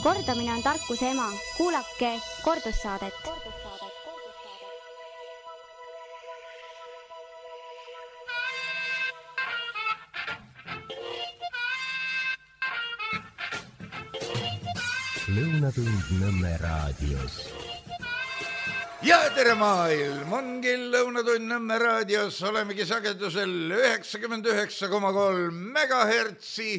Kordamine on tarkuse ema. Kuulake kordussaadet. Lõunatund Nõmme raadios. Ja tere maailm, ongi Lõunatund Nõmme raadios, olemegi sagedusel 99,3 megahertsi,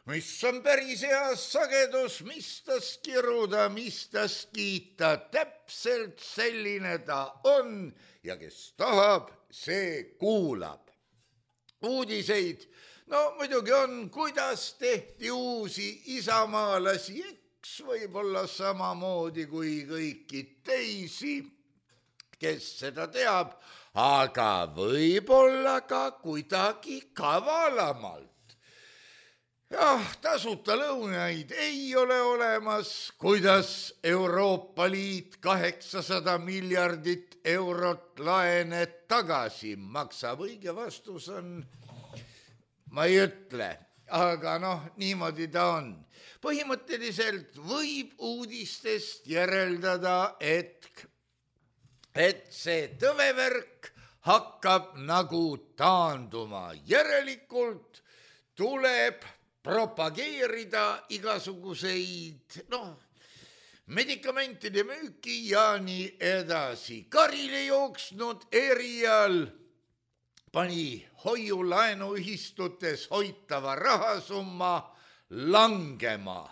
mis on päris hea sagedus, mis tas kiruda, mis tas kiita, täpselt selline ta on ja kes tahab, see kuulab. Uudiseid, no muidugi on, kuidas tehti uusi isamaalasi, eks võib-olla samamoodi kui kõiki teisi, kes seda teab, aga võib-olla ka kuidagi kavalamalt. Jah, tasuta lõunaid ei ole olemas, kuidas Euroopa Liit 800 miljardit eurot laene tagasi maksab. Õige vastus on, ma ei ütle, aga niimoodi ta on. Põhimõtteliselt võib uudistest järeldada, et see tõvevärk hakkab nagu taanduma. Järelikult tuleb propageerida igasuguseid, medikamentide müüki ja nii edasi. Karile jooksnud erial pani hoiulaenuühistutes hoitava rahasumma langema.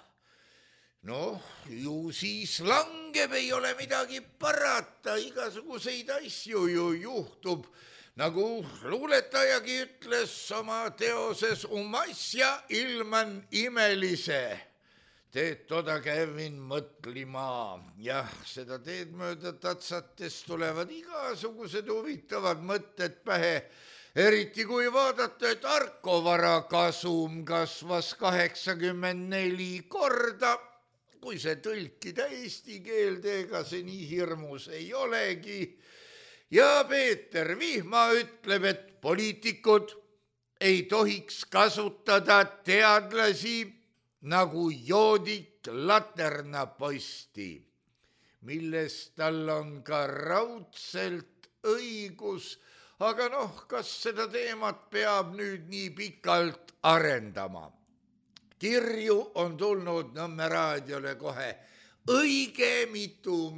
Ju siis langeb, ei ole midagi parata, igasuguseid asju ju juhtub. Nagu luuletajagi ütles oma teoses asja ilman imelise. Teed toda kävin mõtlima. Jah, seda teed mööda tatsates tulevad igasugused huvitavad mõtted pähe. Eriti kui vaadata, et Arko varakasum kasvas 84 korda. Kui see tõlkida eesti keelde, ega see nii hirmus ei olegi. Ja Peeter Vihma ütleb, et poliitikud ei tohiks kasutada teadlasi nagu joodik laternaposti, milles tal on ka raudselt õigus, aga kas seda teemat peab nüüd nii pikalt arendama? Kirju on tulnud Nõmme raadiole kohe õige mitu,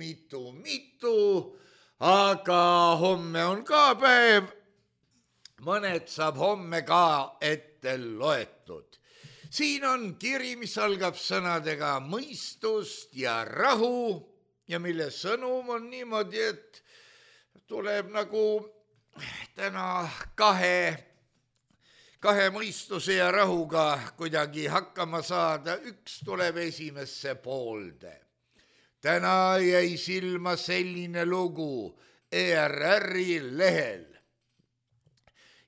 aga homme on ka päev, mõned saab homme ka ette loetud. Siin on kiri, mis algab sõnadega mõistust ja rahu ja mille sõnum on niimoodi, et tuleb nagu täna kahe mõistuse ja rahuga kuidagi hakkama saada. Üks tuleb esimesse poolde. Täna jäi silma selline lugu ERR-i lehel.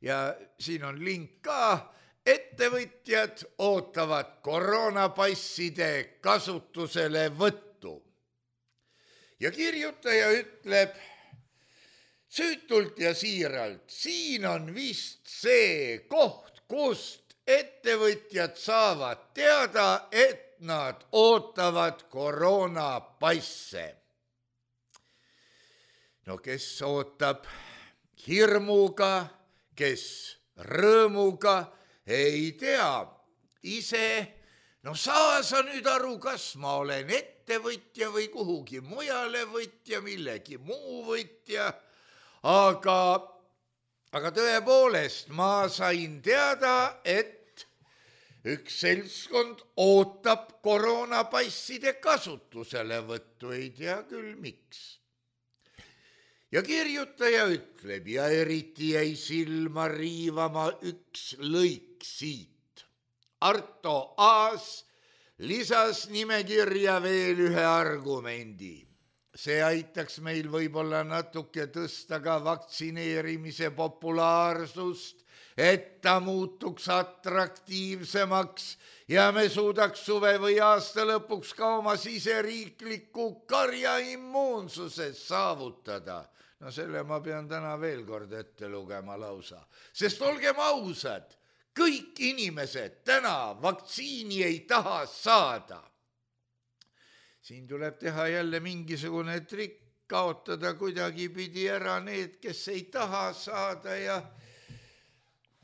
Ja siin on link ka. Ettevõtjad ootavad koroonapasside kasutusele võttu. Ja kirjutaja ütleb süütult ja siiralt, siin on vist see koht, kust ettevõtjad saavad teada, et nad ootavad koroonapasse. Kes ootab hirmuga, kes rõõmuga, ei tea. Ise, saa sa nüüd aru, kas ma olen ettevõtja või kuhugi mujale võtja, millegi muu võtja. Aga tõepoolest ma sain teada, et üks seltskond ootab koroonapasside kasutuselevõttu, ei tea küll miks. Ja kirjutaja ütleb, ja eriti jäi silma riivama üks lõik siit. Arto Aas lisas nimekirja veel ühe argumendi. See aitaks meil võib-olla natuke tõsta ka vaktsineerimise populaarsust, et ta muutuks atraktiivsemaks ja me suudaks suve või aasta lõpuks ka oma siseriikliku karjaimmuunsuse saavutada. Selle ma pean täna veel kord ette lugema lausa. Sest olgem ausad, kõik inimesed täna vaktsiini ei taha saada. siin tuleb teha jälle mingisugune trikk, kaotada kuidagi pidi ära need, kes ei taha saada ja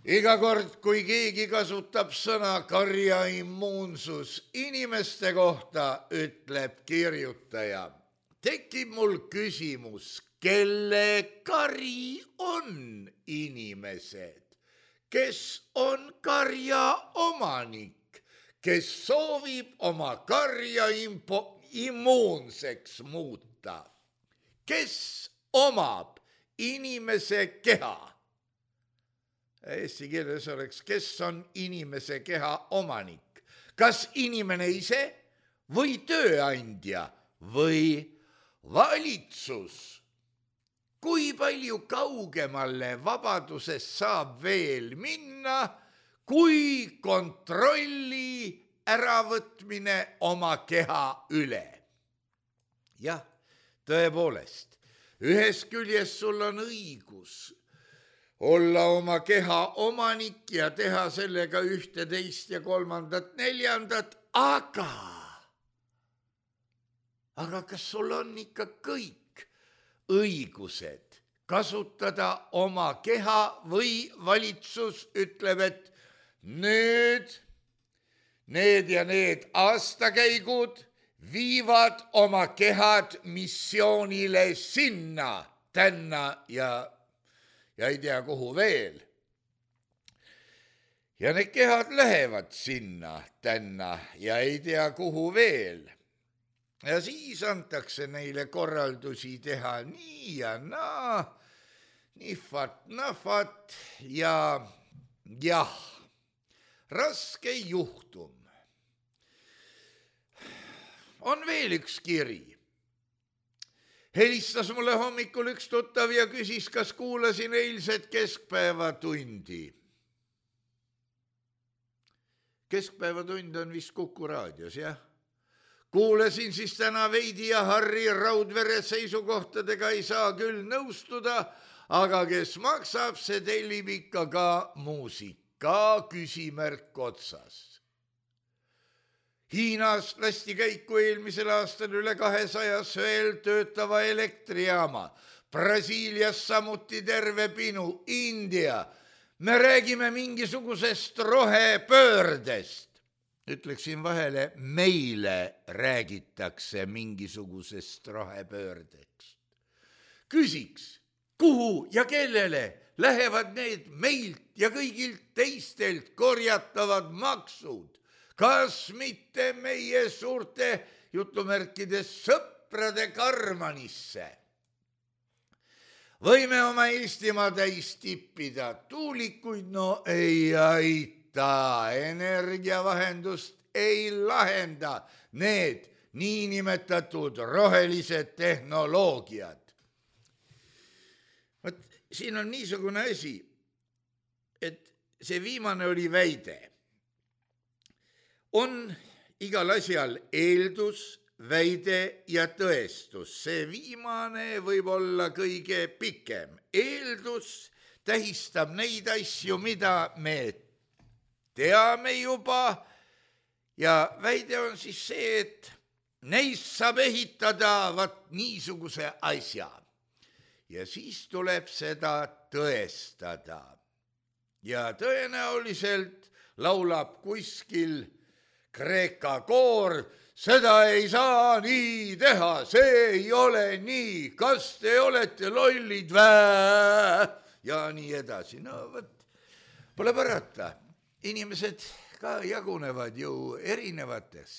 iga kord, kui keegi kasutab sõna karjaimmuunsus inimeste kohta, ütleb kirjutaja, tekib mul küsimus, kelle kari on inimesed, kes on karja omanik, kes soovib oma karja immuunseks muuta, kes omab inimese keha. Eesti keeles oleks, kes on inimese keha omanik, kas inimene ise või tööandja või valitsus. Kui palju kaugemale vabadusest saab veel minna, kui kontrolli äravõtmine oma keha üle? Jah, tõepoolest, ühest küljest sul on õigus olla oma keha omanik ja teha sellega ühte, teist ja kolmandat, neljandat, aga kas sul on ikka kõik õigused kasutada oma keha või valitsus ütleb, et nüüd need ja need aastakäigud viivad oma kehad missioonile sinna, tänna ja ei tea kuhu veel. Ja need kehad lähevad sinna, tänna ja ei tea kuhu veel. Ja siis antakse neile korraldusi teha nii ja naa, nihvat-nahvat ja jah, raske juhtum. On veel üks kiri. Helistas mulle hommikul üks tuttav ja küsis, kas kuulasin eilset keskpäevatundi. Keskpäevatund on vist Kuku raadios, jah? Kuulasin siis täna veidi ja Harri Raudvere seisukohtadega ei saa küll nõustuda, aga kes maksab, see tellib ikka ka muusika, küsimärk otsas. Hiinas lasti käiku eelmisel aastal üle 200 veel töötava elektrijaama. Brasiilias samuti terve pinu, India. Me räägime mingisugusest rohepöördest. Ütleksin vahele, meile räägitakse mingisugusest rohepöördeks. Küsiks, kuhu ja kellele lähevad need meilt ja kõigilt teistelt korjatavad maksud? Kas mitte meie suurte jutumärkides sõprade karmanisse? Võime oma Eestimaa täis tippida, tuulikuid no ei aita, energiavahendust ei lahenda need niinimetatud rohelised tehnoloogiad. Võt, siin on niisugune asi, et see viimane oli väide. On igal asjal eeldus, väide ja tõestus. See viimane võib olla kõige pikem. Eeldus tähistab neid asju, mida me teame juba ja väide on siis see, et neist saab ehitada niisuguse asja. Ja siis tuleb seda tõestada. Ja tõenäoliselt laulab kuskil Kreeka koor, seda ei saa nii teha, see ei ole nii, kas te olete lollid vää? Ja nii edasi. No võt, pole parata. Inimesed ka jagunevad ju erinevateks.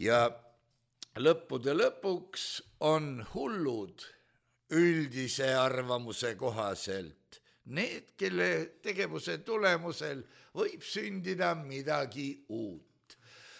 Ja lõppude lõpuks on hullud üldise arvamuse kohaselt. Need, kelle tegevuse tulemusel võib sündida midagi uut.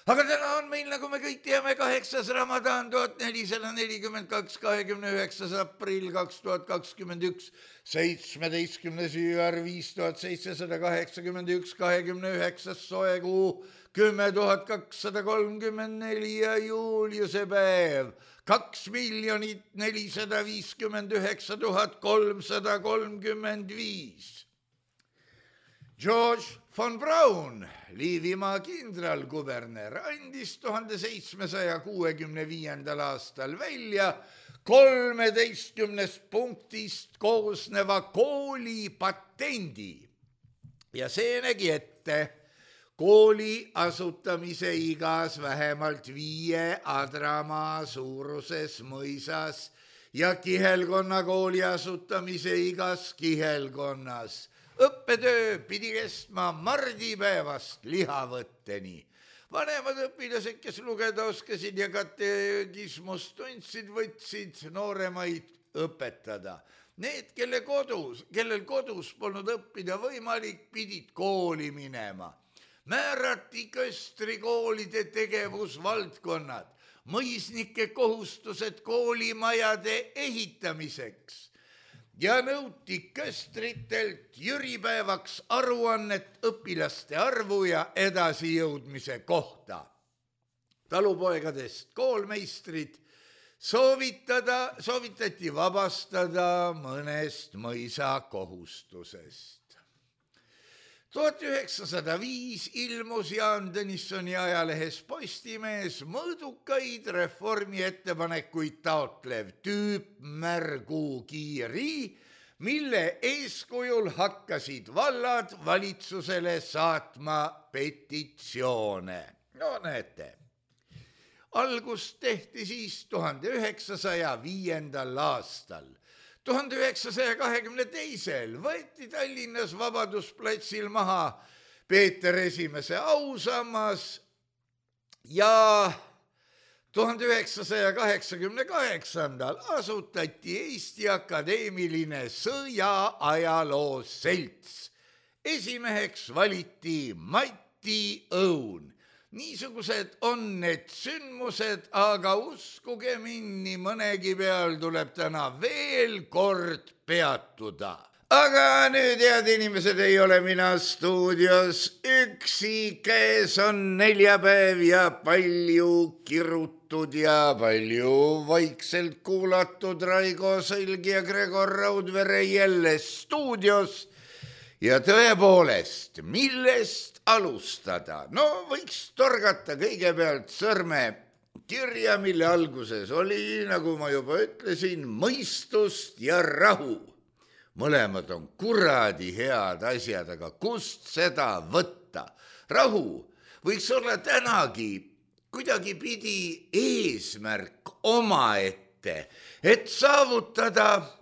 Aga täna on meil, nagu me kõik teame, 8. Ramadan 1442, 29. aprill 2021, 17. jüär 5781, 29. soekuu 10.234 ja Juliuse päev 2 459 335. George von Braun, Liivimaa kindralkuberner, andis 1765. aastal välja 13 punktist koosneva koolipatendi ja see nägi ette kooli asutamise igas vähemalt 5 adramaa suuruses mõisas ja kihelkonnakooli asutamise igas kihelkonnas. Õppetöö pidi kestma mardipäevast lihavõtteni. Vanemad õpilased, kes lugeda oskasid ja katekismust tundsid, võtsid nooremaid õpetada. Need, kellel kodus polnud õppida võimalik, pidid kooli minema. Määrati köstrikoolide tegevusvaldkonnad, mõisnike kohustused koolimajade ehitamiseks ja nõuti köstritelt jüripäevaks aruannet õpilaste arvu ja edasijõudmise kohta. Talupoegadest koolmeistrid soovitati vabastada mõnest mõisa kohustusest. 1905 ilmus Jaan Tõnissoni ajalehes Postimees mõõdukaid reformi ettepanekuid taotlev tüüpmärgukiri, mille eeskujul hakkasid vallad valitsusele saatma petitsioone. No näete, algust tehti siis 1905. aastal. 1922. võeti Tallinnas Vabadusplatsil maha Peeter I ausammas ja 1988. asutati Eesti Akadeemiline Sõjaajaloo Selts. Esimeheks valiti Mati Õun. Niisugused on need sündmused, aga uskuge mind, nii mõnegi peal tuleb täna veel kord peatuda. Aga nüüd, head inimesed, ei ole mina stuudios üksi, käes on neljapäev ja palju kirutud ja palju vaikselt kuulatud Raigo Sõlg ja Gregor Raudvere jälle stuudios. Ja tõepoolest, millest alustada? No võiks torgata kõigepealt sõrme kirja, mille alguses oli, nagu ma juba ütlesin, mõistust ja rahu. Mõlemad on kuradi head asjad, aga kust seda võtta? Rahu võiks olla tänagi kuidagi pidi eesmärk omaette, et saavutada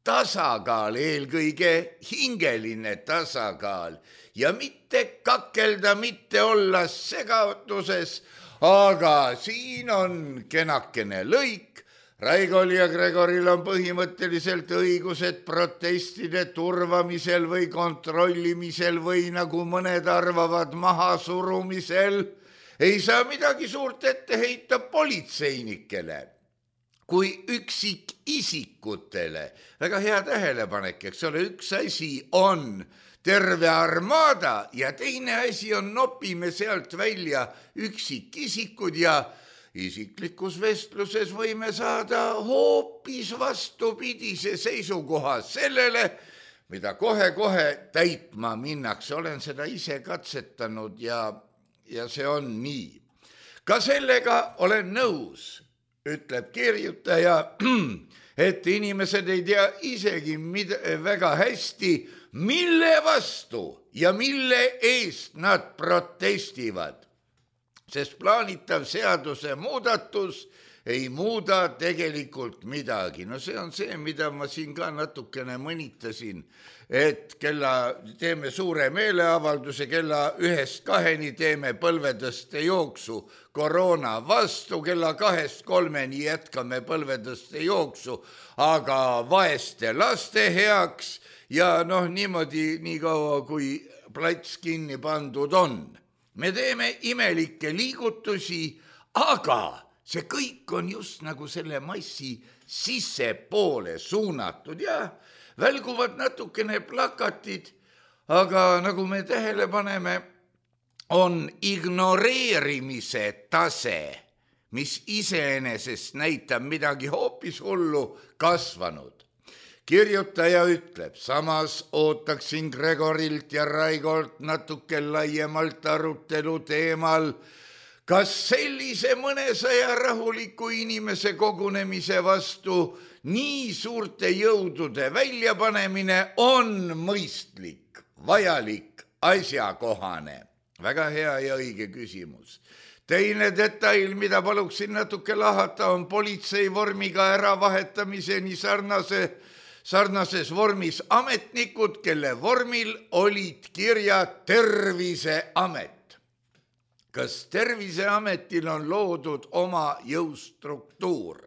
tasakaal, eelkõige hingeline tasakaal ja mitte kakelda, mitte olla segaduses, aga siin on kenakene lõik. Raigol ja Gregoril on põhimõtteliselt õigused protestide turvamisel või kontrollimisel või nagu mõned arvavad mahasurumisel. Ei saa midagi suurt ette heita politseinikele kui üksikisikutele. Väga hea tähelepanek, eks ole, üks asi on terve armada ja teine asi on nopime sealt välja üksikisikud ja isiklikus vestluses võime saada hoopis vastupidise seisukoha sellele, mida kohe-kohe täitma minnakse. Olen seda ise katsetanud ja see on nii. Ka sellega olen nõus, ütleb kirjutaja, et inimesed ei tea isegi väga hästi, mille vastu ja mille eest nad protestivad, sest plaanitav seaduse muudatus ei muuda tegelikult midagi. No see on see, mida ma siin ka natukene mõnitasin, et teeme suure meeleavalduse, kella 1-2 teeme põlvetõste jooksu koroona vastu, kella 2-3 jätkame põlvetõste jooksu, aga vaeste laste heaks ja niimoodi nii kaua, kui plats kinni pandud on. Me teeme imelikke liigutusi, aga see kõik on just nagu selle massi sissepoole suunatud ja välguvad natukene plakatid, aga nagu me tähele paneme, on ignoreerimise tase, mis iseenesest näitab midagi hoopis hullu, kasvanud. kirjutaja ütleb, samas ootaksin Gregorilt ja Raigolt natuke laiemalt arutelu teemal, kas sellise mõnesaja rahuliku inimese kogunemise vastu nii suurte jõudude väljapanemine on mõistlik, vajalik, asjakohane. Väga hea ja õige küsimus. Teine detail, mida paluksin natuke lahata, on politsei vormiga äravahetamise sarnases vormis ametnikud, kelle vormil olid kirja Terviseamet. Kas Terviseametil on loodud oma jõustruktuur?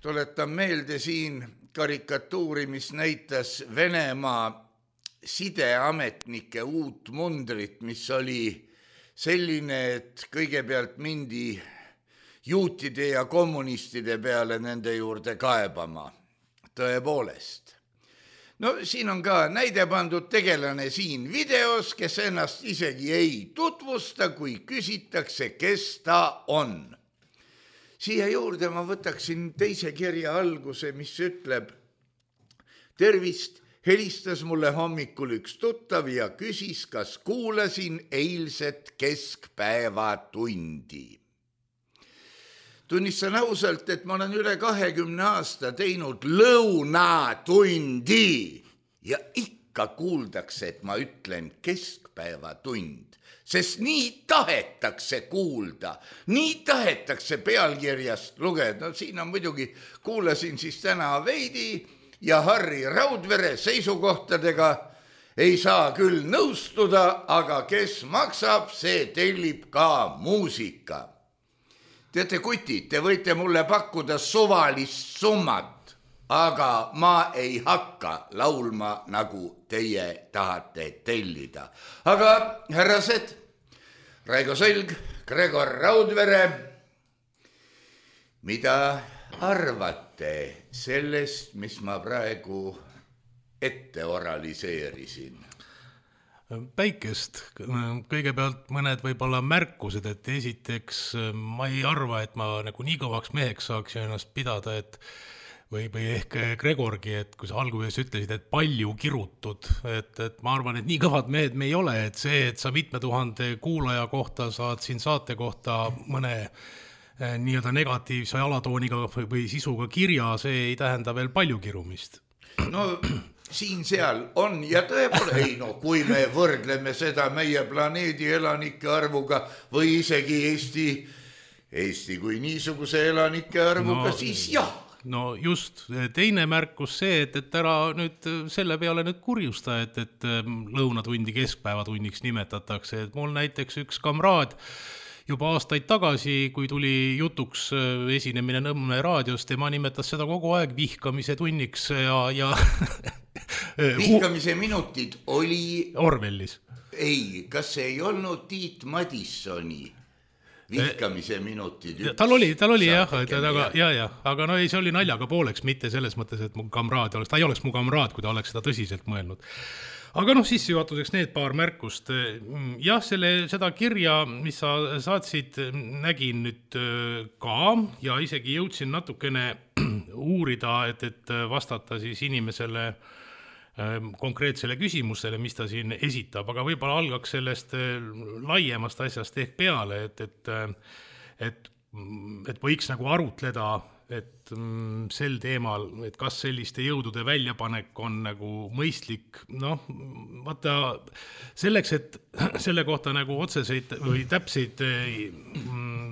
Tuletan meelde siin karikatuuri, mis näitas Venemaa sideametnike uut mundrit, mis oli selline, et kõigepealt mindi juutide ja kommunistide peale nende juurde kaebama. Tõepoolest. Siin on ka näide pandud tegelane siin videos, kes ennast isegi ei tutvusta, kui küsitakse, kes ta on. Siia juurde ma võtaksin teise kirja alguse, mis ütleb, tervist, helistas mulle hommikul üks tuttav ja küsis, kas kuulasin eilset keskpäevatundi. Tunnistan ausalt, et ma olen üle 20 aasta teinud lõunatundi ja ikka kuuldakse, et ma ütlen keskpäevatund, sest nii tahetakse kuulda, nii tahetakse pealkirjast lugeda. Siin on muidugi, kuulasin siis täna Veidi ja Harri Raudvere seisukohtadega, ei saa küll nõustuda, aga kes maksab, see tellib ka muusika. Teate, kutid, te võite mulle pakkuda suvalist summat, aga ma ei hakka laulma, nagu teie tahate tellida. Aga härrased, Raigo Sõlg, Gregor Raudvere, mida arvate sellest, mis ma praegu ette oraliseerisin? Päikest. Kõigepealt mõned võib-olla märkused, et esiteks ma ei arva, et ma nagu nii kõvaks meheks saaks ennast pidada, et või ehk Gregorgi, et kui sa alguses ütlesid, et palju kirutud, et ma arvan, et nii kõvad mehed me ei ole, et see, et sa 7000 kuulaja kohta saad siin saate kohta mõne nii-öelda negatiivse alatooniga või sisuga kirja, see ei tähenda veel palju kirumist. Siin-seal on ja tõepoolest, kui me võrdleme seda meie planeedi elanike arvuga või isegi Eesti kui niisuguse elanike arvuga, siis jah. No just, teine märkus see, et ära nüüd selle peale nüüd kurjusta, et lõunatundi keskpäevatunniks nimetatakse, et mul näiteks üks kamraad juba aastaid tagasi, kui tuli jutuks esinemine Nõmme raadios, tema nimetas seda kogu aeg vihkamise tunniks ja vihkamise minutid oli Orwellis. Ei, kas see ei olnud Tiit Madissoni vihkamise minutid? Tal oli jah, aga no ei, see oli naljaga pooleks, mitte selles mõttes, et mu kamraad oleks, ta ei oleks mu kamraad, kui ta oleks seda tõsiselt mõelnud. Aga sissejuhatuseks need paar märkust. Jah, seda kirja, mis sa saatsid, nägin nüüd ka ja isegi jõudsin natukene uurida, et vastata siis inimesele konkreetsele küsimusele, mis ta siin esitab, aga võib-olla algaks sellest laiemast asjast ehk peale, et võiks nagu arutleda, et sel teemal, et kas selliste jõudude väljapanek on nagu mõistlik, vaata selleks, et selle kohta nagu otseseid või täpseid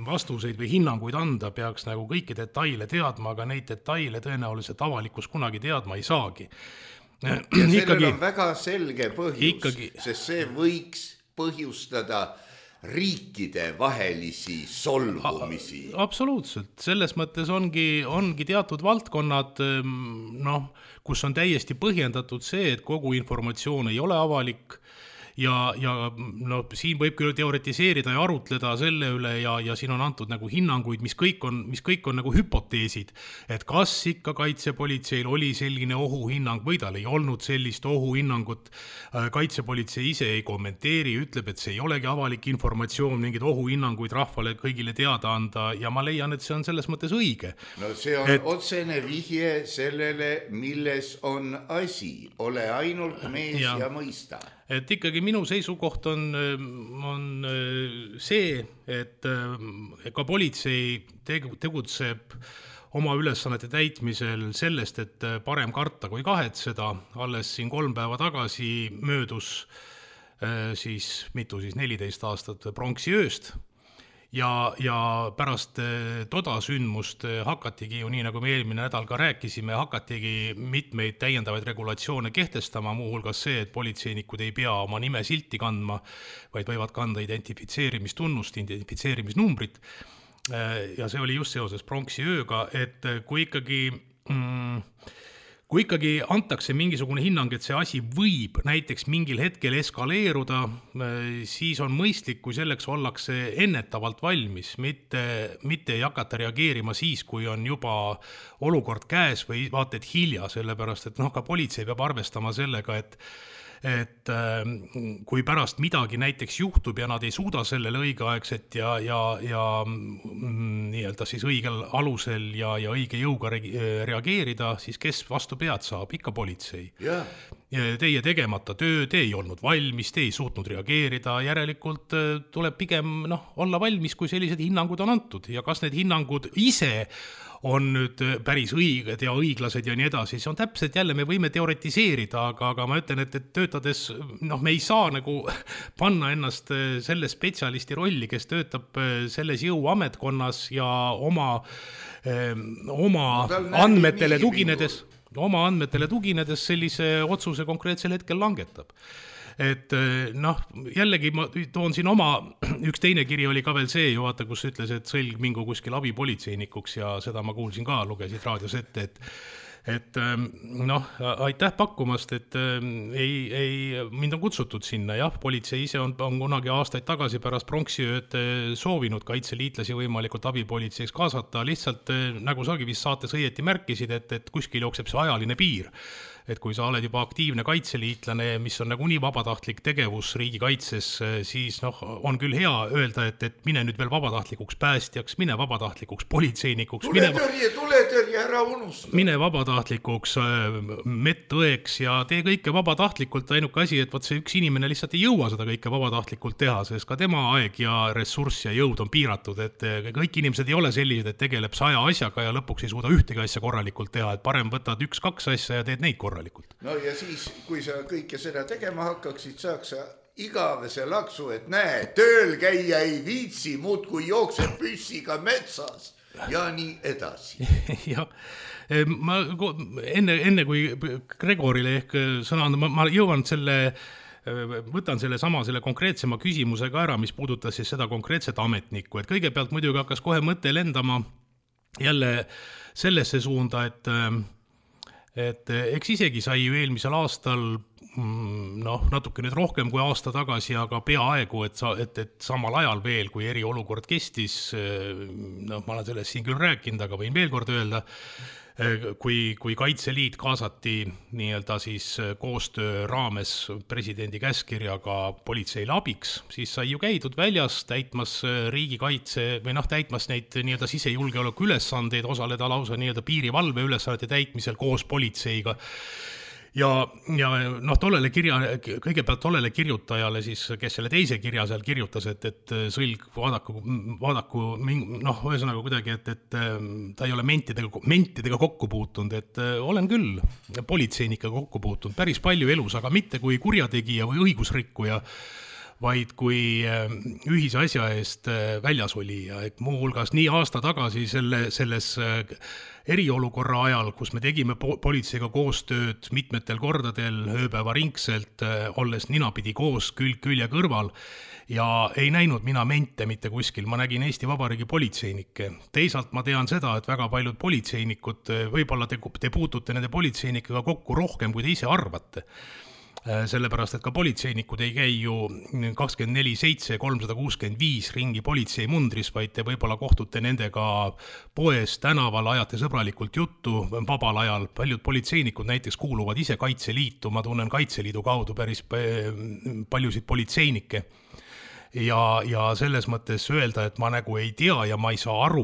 vastuseid või hinnanguid anda, peaks nagu kõiki detaile teadma, aga neid detaile tõenäoliselt avalikkus kunagi teadma ei saagi. Ja sellel on väga selge põhjus, sest see võiks põhjustada riikide vahelisi solvumisi. Absoluutselt, selles mõttes ongi teatud valdkonnad, kus on täiesti põhjendatud see, et kogu informatsioon ei ole avalik ja no siin võib küll teoretiseerida ja arutleda selle üle ja siin on antud nagu hinnanguid, mis kõik on nagu hüpoteesid, et kas ikka kaitsepolitseil oli selline ohuhinnang või tal ei olnud sellist ohuhinnangut. Kaitsepolitsei ise ei kommenteeri, ütleb, et see ei olegi avalik informatsioon, mingid ohuhinnanguid rahvale kõigile teada anda ja ma leian, et see on selles mõttes õige. No see on otsene vihje sellele, milles on asi, ole ainult mees ja mõista. Et ikkagi minu seisukoht on see, et ka politsei tegutseb oma ülesannete täitmisel sellest, et parem karta kui kahetseda. Alles siin 3 päeva tagasi möödus siis 14 aastat pronksiööst. Ja pärast toda sündmust hakatigi ju nii, nagu me eelmine nädal ka rääkisime, hakatigi mitmeid täiendavaid regulatsioone kehtestama, muuhulgas see, et politseinikud ei pea oma nime silti kandma, vaid võivad kanda identifitseerimistunnust, identifitseerimisnumbrit. Ja see oli just seoses pronksiööga, et kui ikkagi antakse mingisugune hinnang, et see asi võib näiteks mingil hetkel eskaleeruda, siis on mõistlik, kui selleks ollakse ennetavalt valmis, mitte ei hakata reageerima siis, kui on juba olukord käes või vaata, et hilja, sellepärast, et ka politsei peab arvestama sellega, et kui pärast midagi näiteks juhtub ja nad ei suuda sellele õigeaegset ja nii-öelda siis õigel alusel ja õige jõuga reageerida, siis kes vastu pead saab? Ikka politsei. Teie tegemata töö, te ei olnud valmis, te ei suutnud reageerida, järelikult tuleb pigem olla valmis, kui sellised hinnangud on antud ja kas need hinnangud ise on nüüd päris õiged ja õiglased ja nii edasi, see on täpselt jälle, me võime teoretiseerida, aga ma ütlen, et töötades, me ei saa nagu panna ennast selle spetsialisti rolli, kes töötab selles jõuametkonnas ja oma andmetele tuginedes sellise otsuse konkreetsel hetkel langetab. Et jällegi ma toon siin üks teine kiri oli ka veel see ju vaata, kus ütles, et Sõlg mingu kuskil abipolitseinikuks ja seda ma kuulsin ka, lugesid raadios ette, et aitäh pakkumast, et mind on kutsutud sinna, jah, politsei ise on kunagi aastaid tagasi pärast pronksiööd soovinud kaitseliitlasi võimalikult abipolitseiks kaasata, lihtsalt nagu sagi vist saates õieti märkisid, et kuskil jookseb see ajaline piir. Et kui sa oled juba aktiivne kaitseliitlane, mis on nagu nii vabatahtlik tegevus riigikaitses, siis on küll hea öelda, et mine nüüd veel vabatahtlikuks päästjaks, mine vabatahtlikuks politseinikuks, tuletõrje, ära unusta. Mine vabatahtlikuks medõeks ja tee kõike vabatahtlikult, ainuke asi, et see üks inimene lihtsalt ei jõua seda kõike vabatahtlikult teha, sest ka tema aeg ja ressurss ja jõud on piiratud, et kõik inimesed ei ole sellised, et tegeleb 100 asjaga ja lõpuks ei suuda ühtegi asja korralikult teha, et parem võtad 1-2 asja ja teed neid korralikult. No ja siis, kui sa kõike seda tegema hakkaksid, saaks sa igavese laksu, et näe, tööl käia ei viitsi, muud kui jookseb püssiga metsas ja nii edasi. Ja, ma enne kui Gregorile ehk sõna anda, ma jõuan võtan selle konkreetsema küsimusega ära, mis puudutas siis seda konkreetset ametnikku, et kõigepealt muidugi hakkas kohe mõte lendama jälle sellesse suunda, et eks isegi sai ju eelmisel aastal natuke nüüd rohkem kui aasta tagasi, aga peaaegu, et samal ajal veel, kui eriolukord kestis, ma olen sellest siin küll rääkinud, aga võin veel kord öelda, kui Kaitseliit kaasati nii-öelda siis koostöö raames presidendi käskirjaga politseile abiks, siis sai ju käidud väljas täitmas riigikaitse või täitmas neid nii-öelda sisejulgeoleku ülesandeid, osaleda lausa nii-öelda piirivalve ülesannete täitmisel koos politseiga. Ja kõigepealt tollele kirjutajale siis, kes selle teise kirja seal kirjutas, et Sõlg vaadaku ühesõnaga kuidagi, et ta ei ole mentidega kokku puutunud, et olen küll politseinikega kokku puutunud päris palju elus, aga mitte kui kurjategija või õigusrikkuja, vaid kui ühise asja eest väljas oli ja muuhulgas nii aasta tagasi selles eriolukorra ajal, kus me tegime politseiga koostööd mitmetel kordadel ööpäevaringselt, olles ninapidi koos külg külje kõrval ja ei näinud mina mente mitte kuskil, ma nägin Eesti Vabariigi politseinikke. Teisalt ma tean seda, et väga paljud politseinikud, võib-olla te puutute nende politseinikega kokku rohkem, kui te ise arvate. sellepärast, et ka politseinikud ei käi ju 24/7 365 ringi politsei mundris, vaid te võib-olla kohtute nendega poes, tänaval, ajate sõbralikult juttu vabal ajal. Paljud politseinikud näiteks kuuluvad ise Kaitseliitu, ma tunnen Kaitseliidu kaudu päris paljusid politseinikke. Ja selles mõttes öelda, et ma nagu ei tea ja ma ei saa aru,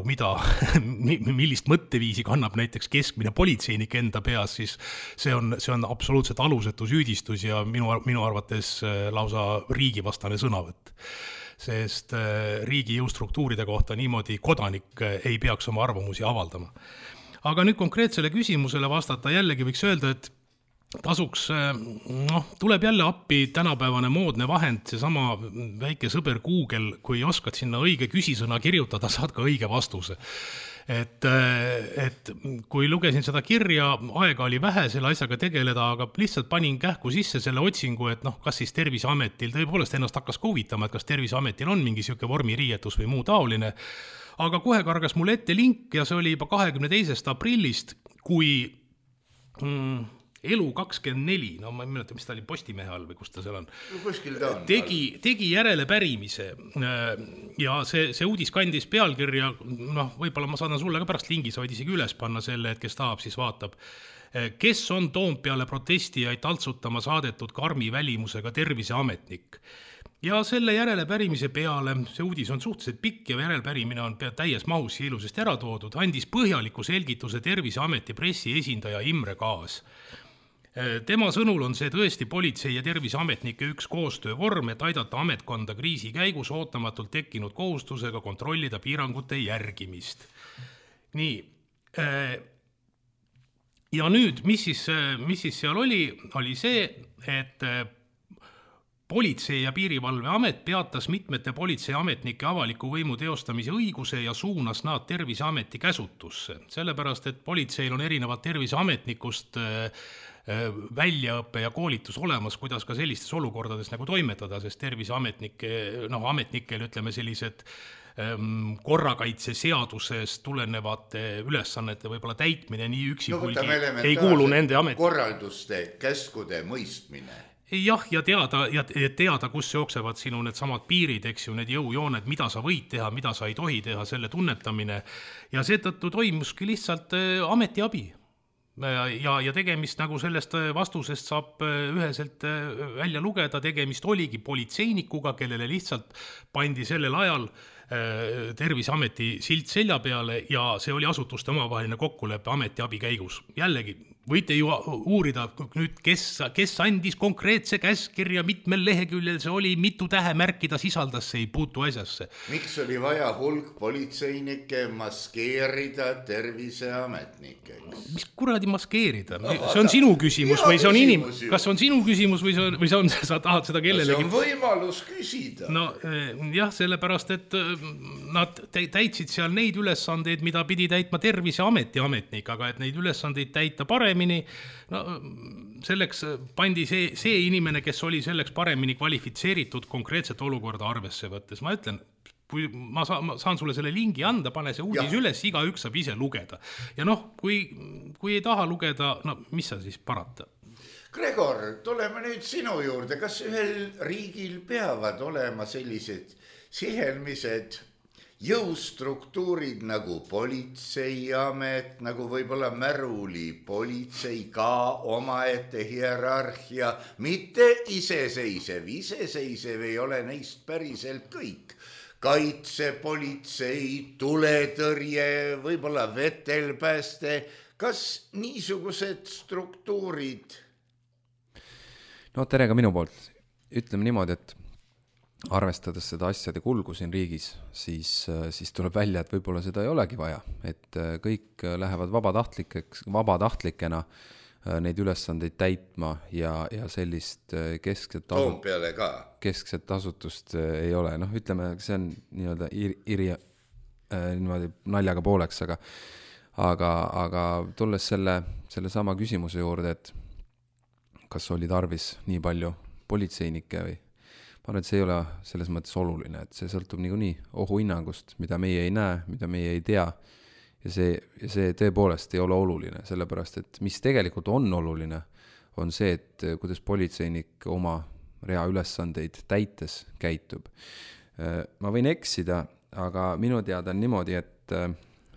millist mõtteviisi kannab näiteks keskmine politseinik enda peas, siis see on absoluutselt alusetu süüdistus ja minu arvates lausa riigivastane sõnavõtt. Sest riigi jõustruktuuride kohta niimoodi kodanik ei peaks oma arvamusi avaldama. Aga nüüd konkreetsele küsimusele vastata jällegi võiks öelda, et tasuks, tuleb jälle appi tänapäevane moodne vahend, seesama väike sõber Google, kui oskad sinna õige küsisõna kirjutada, saad ka õige vastuse. Et kui lugesin seda kirja, aega oli vähe selle asjaga tegeleda, aga lihtsalt panin kähku sisse selle otsingu, et kas siis Terviseametil tõepoolest ennast hakkas ka huvitama, et kas Terviseametil on mingi siuke vormiriietus või muu taoline. Aga kohe kargas mulle ette link ja see oli juba 22. aprillist, kui Elu24, ma ei mäleta, mis ta oli Postimehe all või kus ta seal on, tegi järelepärimise ja see uudis kandis pealkirja, võib-olla ma saadan sulle ka pärast lingi, sa võid isegi üles panna selle, et kes tahab, siis vaatab. Kes on Toompeale protestijaid taltsutama saadetud karmi välimusega terviseametnik? Ja selle järelepärimise peale, see uudis on suhteliselt pikk ja järelepärimine on täies mahus ilusasti ära toodud, andis põhjaliku selgituse Terviseameti pressiesindaja Imre Kaas. Tema sõnul on see tõesti politsei ja terviseametnike üks koostöövorm, et aidata ametkonda kriisi käigus ootamatult tekkinud kohustusega kontrollida piirangute järgimist. Nii, ja nüüd, mis siis seal oli see, et Politsei- ja Piirivalveamet peatas mitmete politseiametnike avaliku võimu teostamise õiguse ja suunas nad Terviseameti käsutusse. Sellepärast, et politseil on erinevad terviseametnikust väljaõppe ja koolitus olemas, kuidas ka sellistes olukordades nagu toimetada, sest terviseametnikel ütleme sellised korrakaitse seadusest tulenevate ülesannete võib-olla täitmine nii üksipulgi ei kuulu nende amet. Korralduste, käskude mõistmine. Jah, ja teada, kus jooksevad sinu need samad piirid, eks ju, need jõujooned, mida sa võid teha, mida sa ei tohi teha, selle tunnetamine. Ja seetõttu toimuski lihtsalt ametiabi. Ja tegemist nagu sellest vastusest saab üheselt välja lugeda, tegemist oligi politseinikuga, kellele lihtsalt pandi sellel ajal Terviseameti silt selja peale ja see oli asutuste omavaheline kokkulepe ametiabi käigus. Jällegi, võite ju uurida nüüd, kes andis konkreetse käskirja, mitmel leheküljel see oli, mitu tähemärki ta sisaldas, see ei puutu asjasse. Miks oli vaja hulk politseinikke maskeerida terviseametnikeks? Mis kuradi maskeerida? See on sinu küsimus või see on kas on sinu küsimus või sa tahad seda kellelegi? See on võimalus küsida. No jah, sellepärast, et nad täitsid seal neid ülesandeid, mida pidi täitma Terviseameti ametnik, aga et neid ülesandeid täita paremini, selleks pandi see inimene, kes oli selleks paremini kvalifitseeritud konkreetset olukorda arvesse võttes. Ma ütlen, kui ma saan sulle selle lingi anda, pane see uudis üles, igaüks saab ise lugeda. Ja kui ei taha lugeda, mis sa siis parata? Gregor, tuleme nüüd sinu juurde. Kas ühel riigil peavad olema sellised sihelmised jõustruktuurid nagu politseiamet, nagu võib-olla Märuli politsei, ka omaette hierarhia, mitte iseseisev. Iseseisev ei ole neist päriselt kõik. Kaitsepolitsei, tuletõrje, võib-olla vetelpääste. Kas niisugused struktuurid? No tere ka minu poolt. Ütleme niimoodi, et arvestades seda asjade kulgu siin riigis, siis tuleb välja, et võib-olla seda ei olegi vaja, et kõik lähevad vabatahtlikena neid ülesandeid täitma ja sellist keskset asutust ei ole. Ütleme, see on nii-öelda naljaga pooleks, aga tulles selle sama küsimuse juurde, et kas oli tarvis nii palju politseinikke või ma arvan, et see ei ole selles mõttes oluline, et see sõltub niikuinii ohuhinnangust, mida meie ei näe, mida meie ei tea ja see tõepoolest ei ole oluline, sellepärast et mis tegelikult on oluline, on see, et kuidas politseinik oma rea ülesandeid täites käitub. Ma võin eksida, aga minu teada on niimoodi, et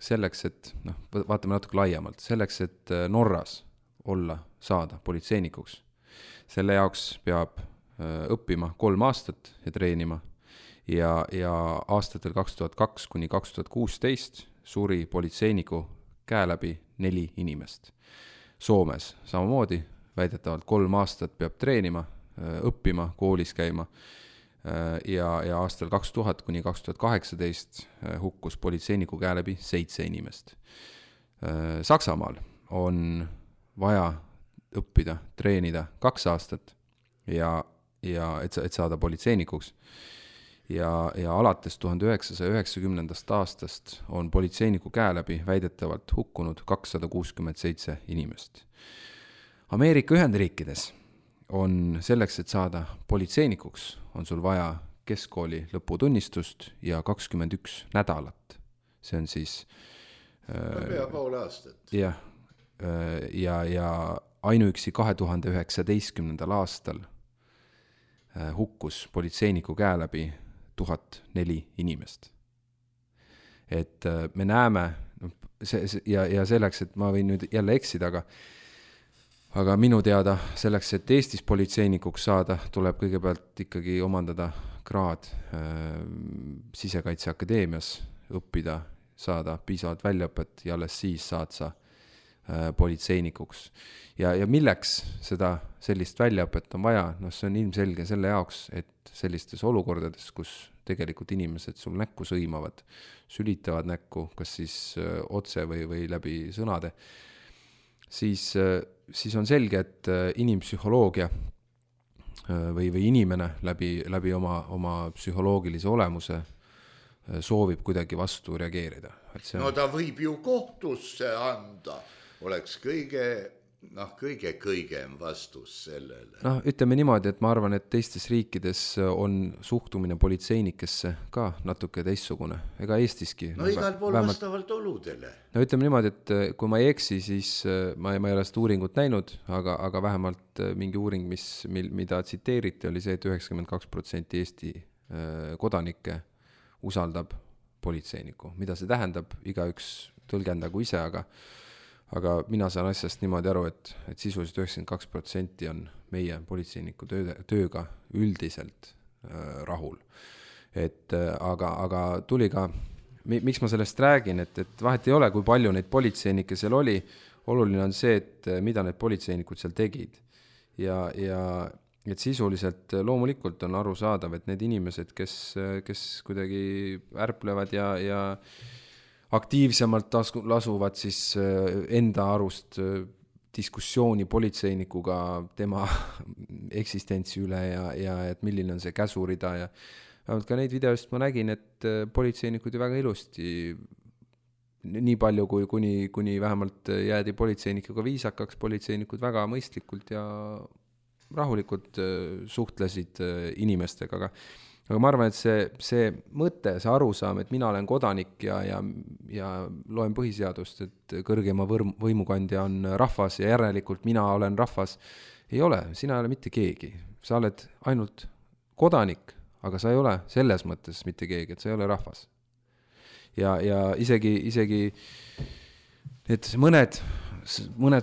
selleks, et vaatame natuke laiemalt, selleks, et Norras saada politseinikuks, selle jaoks peab õppima 3 aastat ja treenima ja aastatel 2002 kuni 2016 suri politseiniku käe läbi 4 inimest. Soomes samamoodi väidetavalt 3 aastat peab treenima, õppima, koolis käima ja aastal 2000 kuni 2018 hukkus politseiniku käe läbi 7 inimest. Saksamaal on vaja õppida, treenida 2 aastat ja et saada politseinikuks ja alates 1990. aastast on politseiniku käe läbi väidetavalt hukkunud 267 inimest. Ameerika Ühendriikides on selleks, et saada politseinikuks, on sul vaja keskkooli lõputunnistust ja 21 nädalat. See on siis pea pool aastat. Ja ainuüksi 2019. aastal hukkus politseiniku käe läbi 1004 inimest. Et me näeme, ja selleks, et ma võin nüüd jälle eksida, aga minu teada selleks, et Eestis politseinikuks saada, tuleb kõigepealt ikkagi omandada kraad Sisekaitseakadeemias, õppida, saada piisavalt väljaõpet ja alles siis saad sa politseinikuks. Ja milleks sellist väljaõpet on vaja? See on ilmselge selle jaoks, et sellistes olukordades, kus tegelikult inimesed sul näkku sõimavad, sülitavad näkku, kas siis otse või läbi sõnade, siis on selge, et inimpsühholoogia või inimene läbi oma psühholoogilise olemuse soovib kuidagi vastu reageerida. No ta võib ju kohtusse anda, oleks kõigem vastus sellele. Ütleme niimoodi, et ma arvan, et teistes riikides on suhtumine politseinikesse ka natuke teistsugune. Ega Eestiski. Igal pool vastavalt oludele. Ütleme niimoodi, et kui ma ei eksi, siis ma ei ole seda uuringut näinud, aga vähemalt mingi uuring, mida tsiteeriti, oli see, et 92% Eesti kodanikke usaldab politseiniku. Mida see tähendab, igaüks tõlgendagu ise, aga mina saan asjast niimoodi aru, et sisuliselt 92% on meie politseiniku tööga üldiselt rahul. Aga tuli ka, miks ma sellest räägin, et vahet ei ole, kui palju neid politseinikke seal oli, oluline on see, et mida need politseinikud seal tegid. Ja et sisuliselt loomulikult on aru saadav, et need inimesed, kes kuidagi ärplevad ja aktiivsemalt lasuvad siis enda arust diskussiooni politseinikuga tema eksistentsi üle ja et milline on see käsurida ja vähemalt ka neid videost ma nägin, et politseinikud ju väga ilusti nii palju kuni vähemalt jäädi politseinikuga viisakaks, politseinikud väga mõistlikult ja rahulikult suhtlesid inimestega, aga ma arvan, et see mõte, see arusaam, et mina olen kodanik ja loen põhiseadust, et kõrgema võimukandja on rahvas ja järelikult mina olen rahvas, ei ole, sina ei ole mitte keegi. Sa oled ainult kodanik, aga sa ei ole selles mõttes mitte keegi, et sa ei ole rahvas. Ja isegi et mõned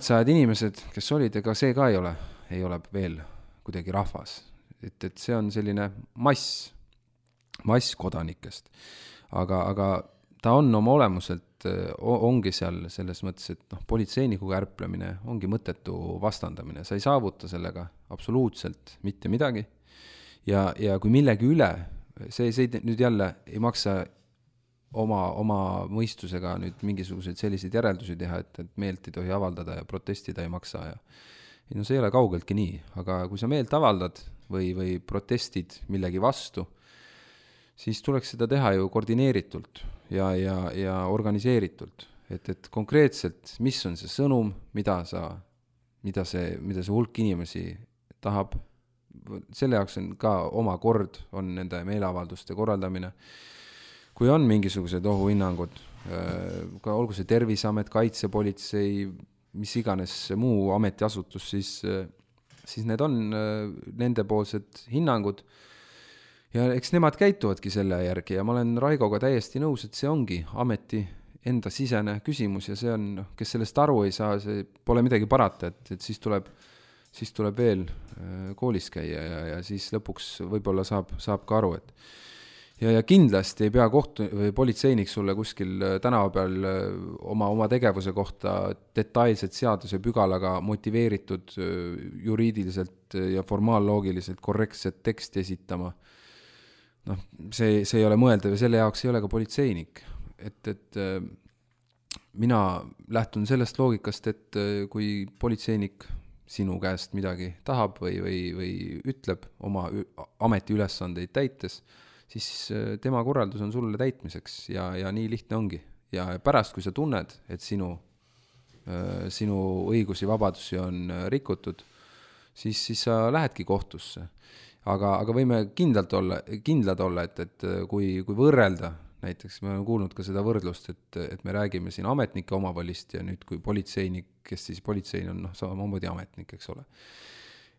sajad inimesed, kes olid, ega see ka ei ole veel kuidagi rahvas. Et see on selline mass kodanikest. Aga ta on oma olemuselt, ongi seal selles mõttes, et politseinikuga ärplemine ongi mõttetu vastandamine. Sa ei saavuta sellega absoluutselt mitte midagi. Ja kui millegi üle, see nüüd jälle ei maksa oma mõistusega nüüd mingisuguseid selliseid järeldusi teha, et meelt ei tohi avaldada ja protestida ei maksa. See ei ole kaugeltki nii, aga kui sa meelt avaldad või protestid millegi vastu, siis tuleks seda teha ju koordineeritult ja organiseeritult. Et konkreetselt, mis on see sõnum, mida see hulk inimesi tahab, selle jaoks on ka oma kord, on nende meeleavalduste korraldamine. Kui on mingisugused ohuhinnangud, ka olgu see Terviseamet, Kaitsepolitsei, mis iganes muu ametiasutus, siis siis need on nendepoolsed hinnangud ja eks nemad käituvadki selle järgi ja ma olen Raigoga täiesti nõus, et see ongi ameti enda sisene küsimus ja see on, kes sellest aru ei saa, see pole midagi parata, et siis tuleb veel koolis käia ja siis lõpuks võib-olla saab ka aru, et ja kindlasti ei pea või politseinik sulle kuskil tänava peal oma tegevuse kohta detailselt seaduse pügalaga motiveeritud juriidiliselt ja formaalloogiliselt korrektset teksti esitama. Noh, see ei ole mõeldav ja selle jaoks ei ole ka politseinik. Et mina lähtun sellest loogikast, et kui politseinik sinu käest midagi tahab või ütleb oma ametiülesandeid täites, siis tema korraldus on sulle täitmiseks ja nii lihtne ongi. Ja pärast, kui sa tunned, et sinu õigusi, vabadusi on rikutud, siis sa lähedki kohtusse. Aga võime kindlad olla, et kui võrrelda, näiteks me oleme kuulnud ka seda võrdlust, et me räägime siin ametnike omavalist ja nüüd kui politseinik, kes siis politsein on samamoodi ametnik, eks ole.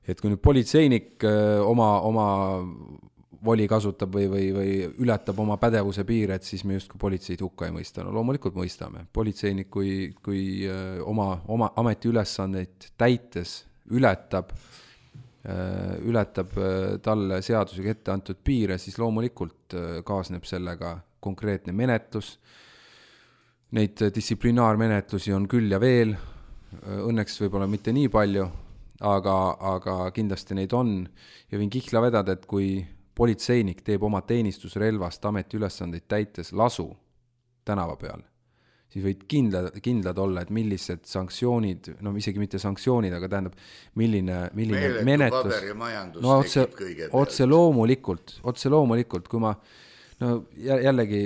Et kui nüüd politseinik oma voli kasutab või ületab oma pädevuse piire, et siis me justkui politseid hukka ei mõista. No loomulikult mõistame. Politseinik, kui oma ametiülesandeid täites ületab talle seadusega ette antud piire, siis loomulikult kaasneb sellega konkreetne menetlus. Neid distsiplinaarmenetlusi on küll ja veel, õnneks võib-olla mitte nii palju, aga kindlasti neid on ja võin kihla vedada, et kui politseinik teeb oma teenistusrelvast ametiülesandeid täites lasu tänava peal, siis võid kindlad olla, et millised sanktsioonid, no isegi mitte sanktsioonid, aga tähendab, milline menetlus. No otse loomulikult, kui ma jällegi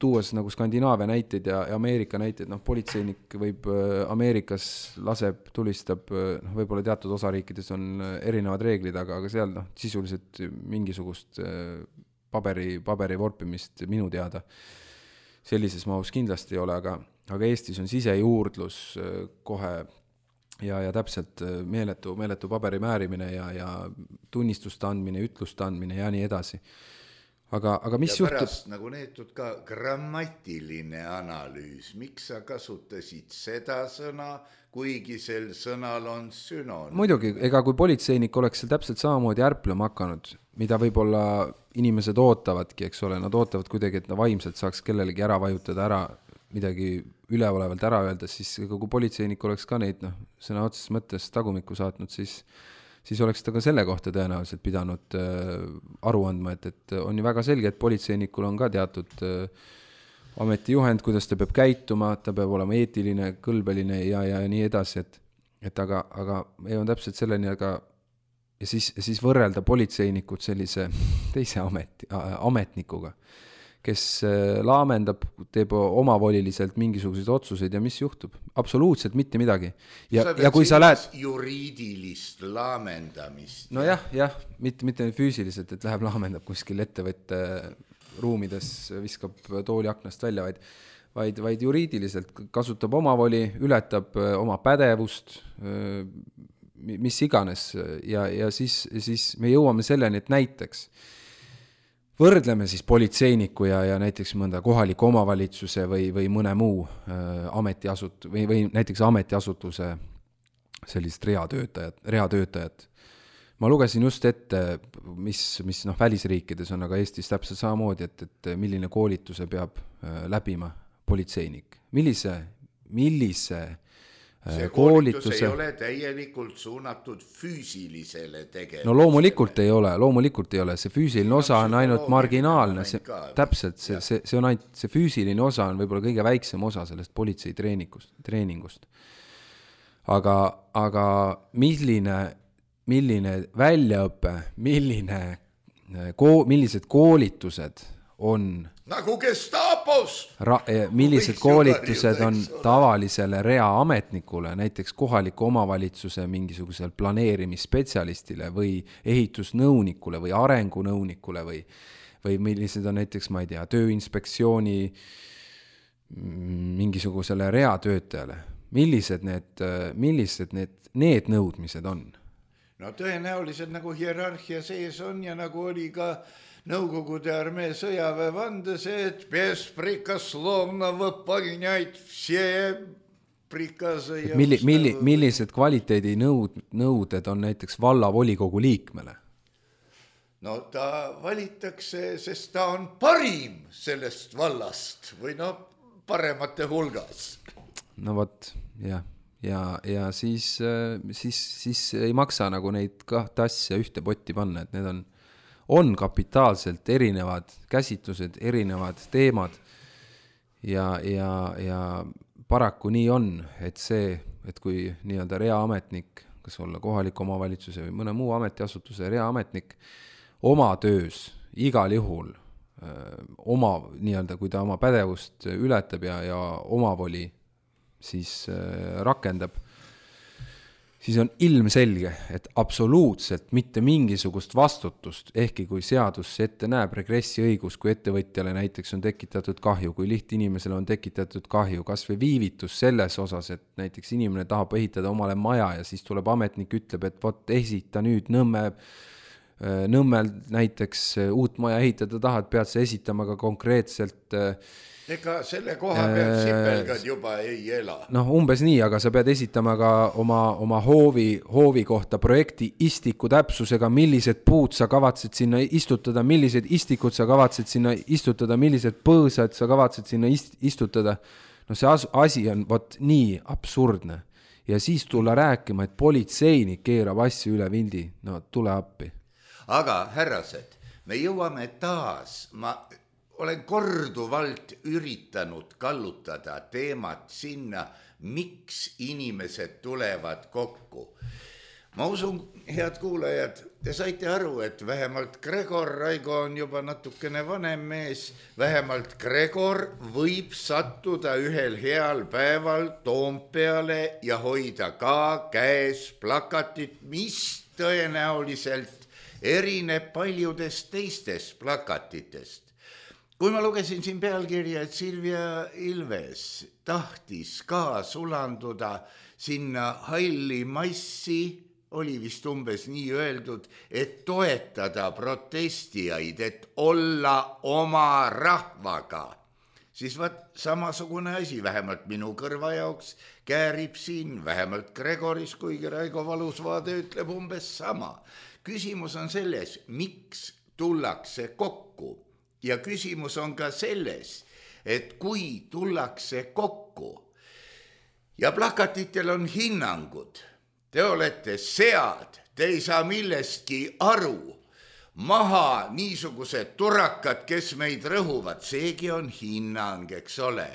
tuues nagu Skandinaavia näiteid ja Ameerika näiteid, politseinik võib Ameerikas laseb, tulistab, võib-olla teatud osariikides on erinevad reeglid, aga seal sisuliselt mingisugust paberi vorpimist minu teada sellises mahus kindlasti ei ole, aga Eestis on sisejuurdlus kohe ja täpselt meeletu paberi määrimine ja tunnistuste andmine, ütluste andmine ja nii edasi. Aga mis ja pärast juhtub? Nagu neetud ka grammatiline analüüs. Miks sa kasutasid seda sõna, kuigi sel sõnal on sünoon? Muidugi, ega kui politseinik oleks seal täpselt samamoodi ärplema hakanud, mida võib-olla inimesed ootavadki, eks ole, nad ootavad kuidagi, et vaimselt saaks kellelegi ära vajutada, midagi üleolevalt ära öelda, siis kui politseinik oleks ka neid sõna otseses mõttes tagumikku saatnud, siis oleks ta ka selle kohta tõenäoliselt pidanud aru andma, et on ju väga selge, et politseinikul on ka teatud ametijuhend, kuidas ta peab käituma, ta peab olema eetiline, kõlbeline ja nii edasi, et aga ei on täpselt selleni, ja siis võrrelda politseinikud sellise teise ametnikuga, kes laamendab, teeb omavoliliselt mingisuguseid otsuseid ja mis juhtub? Absoluutselt mitte midagi. Ja kui sa lähed juriidilist laamendamist. No jah, mitte füüsiliselt, et läheb laamendab kuskil ettevõtte ruumides, viskab tooli aknast välja, vaid juriidiliselt kasutab omavoli, ületab oma pädevust, mis iganes ja siis me jõuame selleni, et näiteks võrdleme siis politseiniku ja näiteks mõnda kohaliku omavalitsuse või mõne muu või näiteks ametiasutuse sellist reatöötajat. Ma lugesin just ette, mis välisriikides on, aga Eestis täpselt samamoodi, et milline koolituse peab läbima politseinik. Millise see koolitus ei ole täielikult suunatud füüsilisele tegevusele. No loomulikult ei ole, see füüsiline osa on ainult marginaalne, täpselt, see on ainult, see füüsiline osa on võib-olla kõige väiksem osa sellest politsei treeningust. Aga milline väljaõpe, millised koolitused on nagu Gestapos. Millised koolitused on tavalisele reaametnikule, näiteks kohaliku omavalitsuse mingisugusel planeerimisspetsialistile või ehitusnõunikule või arengunõunikule või millised on näiteks, ma ei tea, tööinspektsiooni mingisugusele reatöötajale. Millised need nõudmised on? No tõenäoliselt nagu hierarhia sees on ja nagu oli ka Nõukogude armee sõjaväe vandes, et besprekoslovno võpalnjaid vse prikase ja millised kvaliteedinõuded on näiteks vallavolikogu liikmele? No ta valitakse, sest ta on parim sellest vallast või paremate hulgas. No vot, jah. Ja siis ei maksa nagu neid kahte asja ühte potti panna, et need on kapitaalselt erinevad käsitlused, erinevad teemad ja paraku nii on, et kui nii-öelda reaametnik, kas olla kohaliku omavalitsuse või mõne muu ametiasutuse reaametnik, oma töös igal juhul nii-öelda, kui ta oma pädevust ületab ja omavoli siis rakendab, siis on ilmselge, et absoluutselt mitte mingisugust vastutust, ehkki kui seadus ette näeb regressiõigus, kui ettevõtjale näiteks on tekitatud kahju, kui lihtinimesele on tekitatud kahju, kas või viivitus selles osas, et näiteks inimene tahab ehitada omale maja ja siis tuleb ametnik, ütleb, et vot esita nüüd Nõmmel näiteks uut maja ehitada tahad, pead sa esitama ka konkreetselt ega selle koha pealt sipelgad juba ei ela. Umbes nii, aga sa pead esitama ka oma hoovi kohta projekti istiku täpsusega, millised puud sa kavatsed sinna istutada, millised istikud sa kavatsed sinna istutada, millised põõsad sa kavatsed sinna istutada. See asi on nii absurdne. Ja siis tulla rääkima, et politseinik keerab asju üle vindi. Tule appi. Aga härrased, me jõuame taas, ma olen korduvalt üritanud kallutada teemat sinna, miks inimesed tulevad kokku. Ma usun, head kuulajad, te saite aru, et vähemalt Gregor, Raigo on juba natukene vanem mees, vähemalt Gregor võib sattuda ühel heal päeval Toompeale ja hoida ka käes plakatit, mis tõenäoliselt erineb paljudest teistest plakatitest. Kui ma lugesin siin pealkirja, et Silvia Ilves tahtis ka sulanduda sinna halli massi, oli vist umbes nii öeldud, et toetada protestijaid, et olla oma rahvaga, siis samasugune asi, vähemalt minu kõrva jaoks käärib siin, vähemalt Gregoris, kuigi Raigo Valusvaade ütleb umbes sama. Küsimus on selles, miks tullakse kokku ja küsimus on ka selles, et kui tullakse kokku ja plakatitel on hinnangud, te olete sead, te ei saa millestki aru, maha niisugused turakad, kes meid rõhuvad, seegi on hinnang, eks ole.